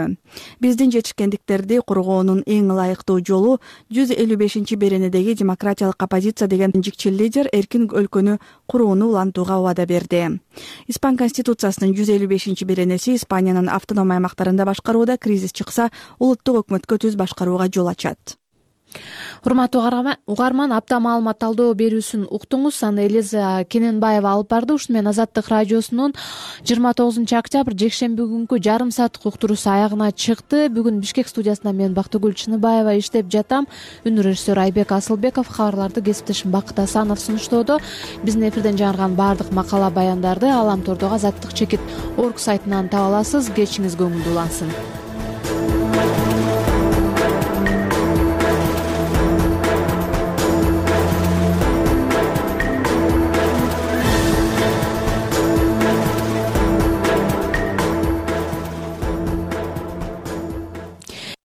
Биздин жетишкендиктерди коргоонун эң ылайыктуу жолу 155 беренедеги демократиялык оппозиция деген жикчил лидер эркин өлкөнү курууну улантууга убада берди. Испан конституциясынын 155 беренеси Испаниянын автоном аймактарында башкарууда кризис чыкса, улуттук өкмөткө түз башкарууга жол ачат. Урматтуу угарман, апта маалымат талдоо берүүсүн уктуңуз. Аны Элиза Кененбаева алып барды. Ушуну менен Азаттык радиосунун 29 октябрь жекшемби күнкү жарым сааттык уктуруусу аягына чыкты. Бүгүн Бишкек студиясында мен Бактыгүл Чыныбаева иштеп жатам. Үн режиссер Айбек Асылбеков, кабарларды кесиптешим Бакыт Асанов сунуштоодо. Биздин эфирден жаңырган баардык макала баяндарды Аламтордогу Азаттык чекит орг сайтынан таба аласыз. Кечиңиз көңүлдүү улансын.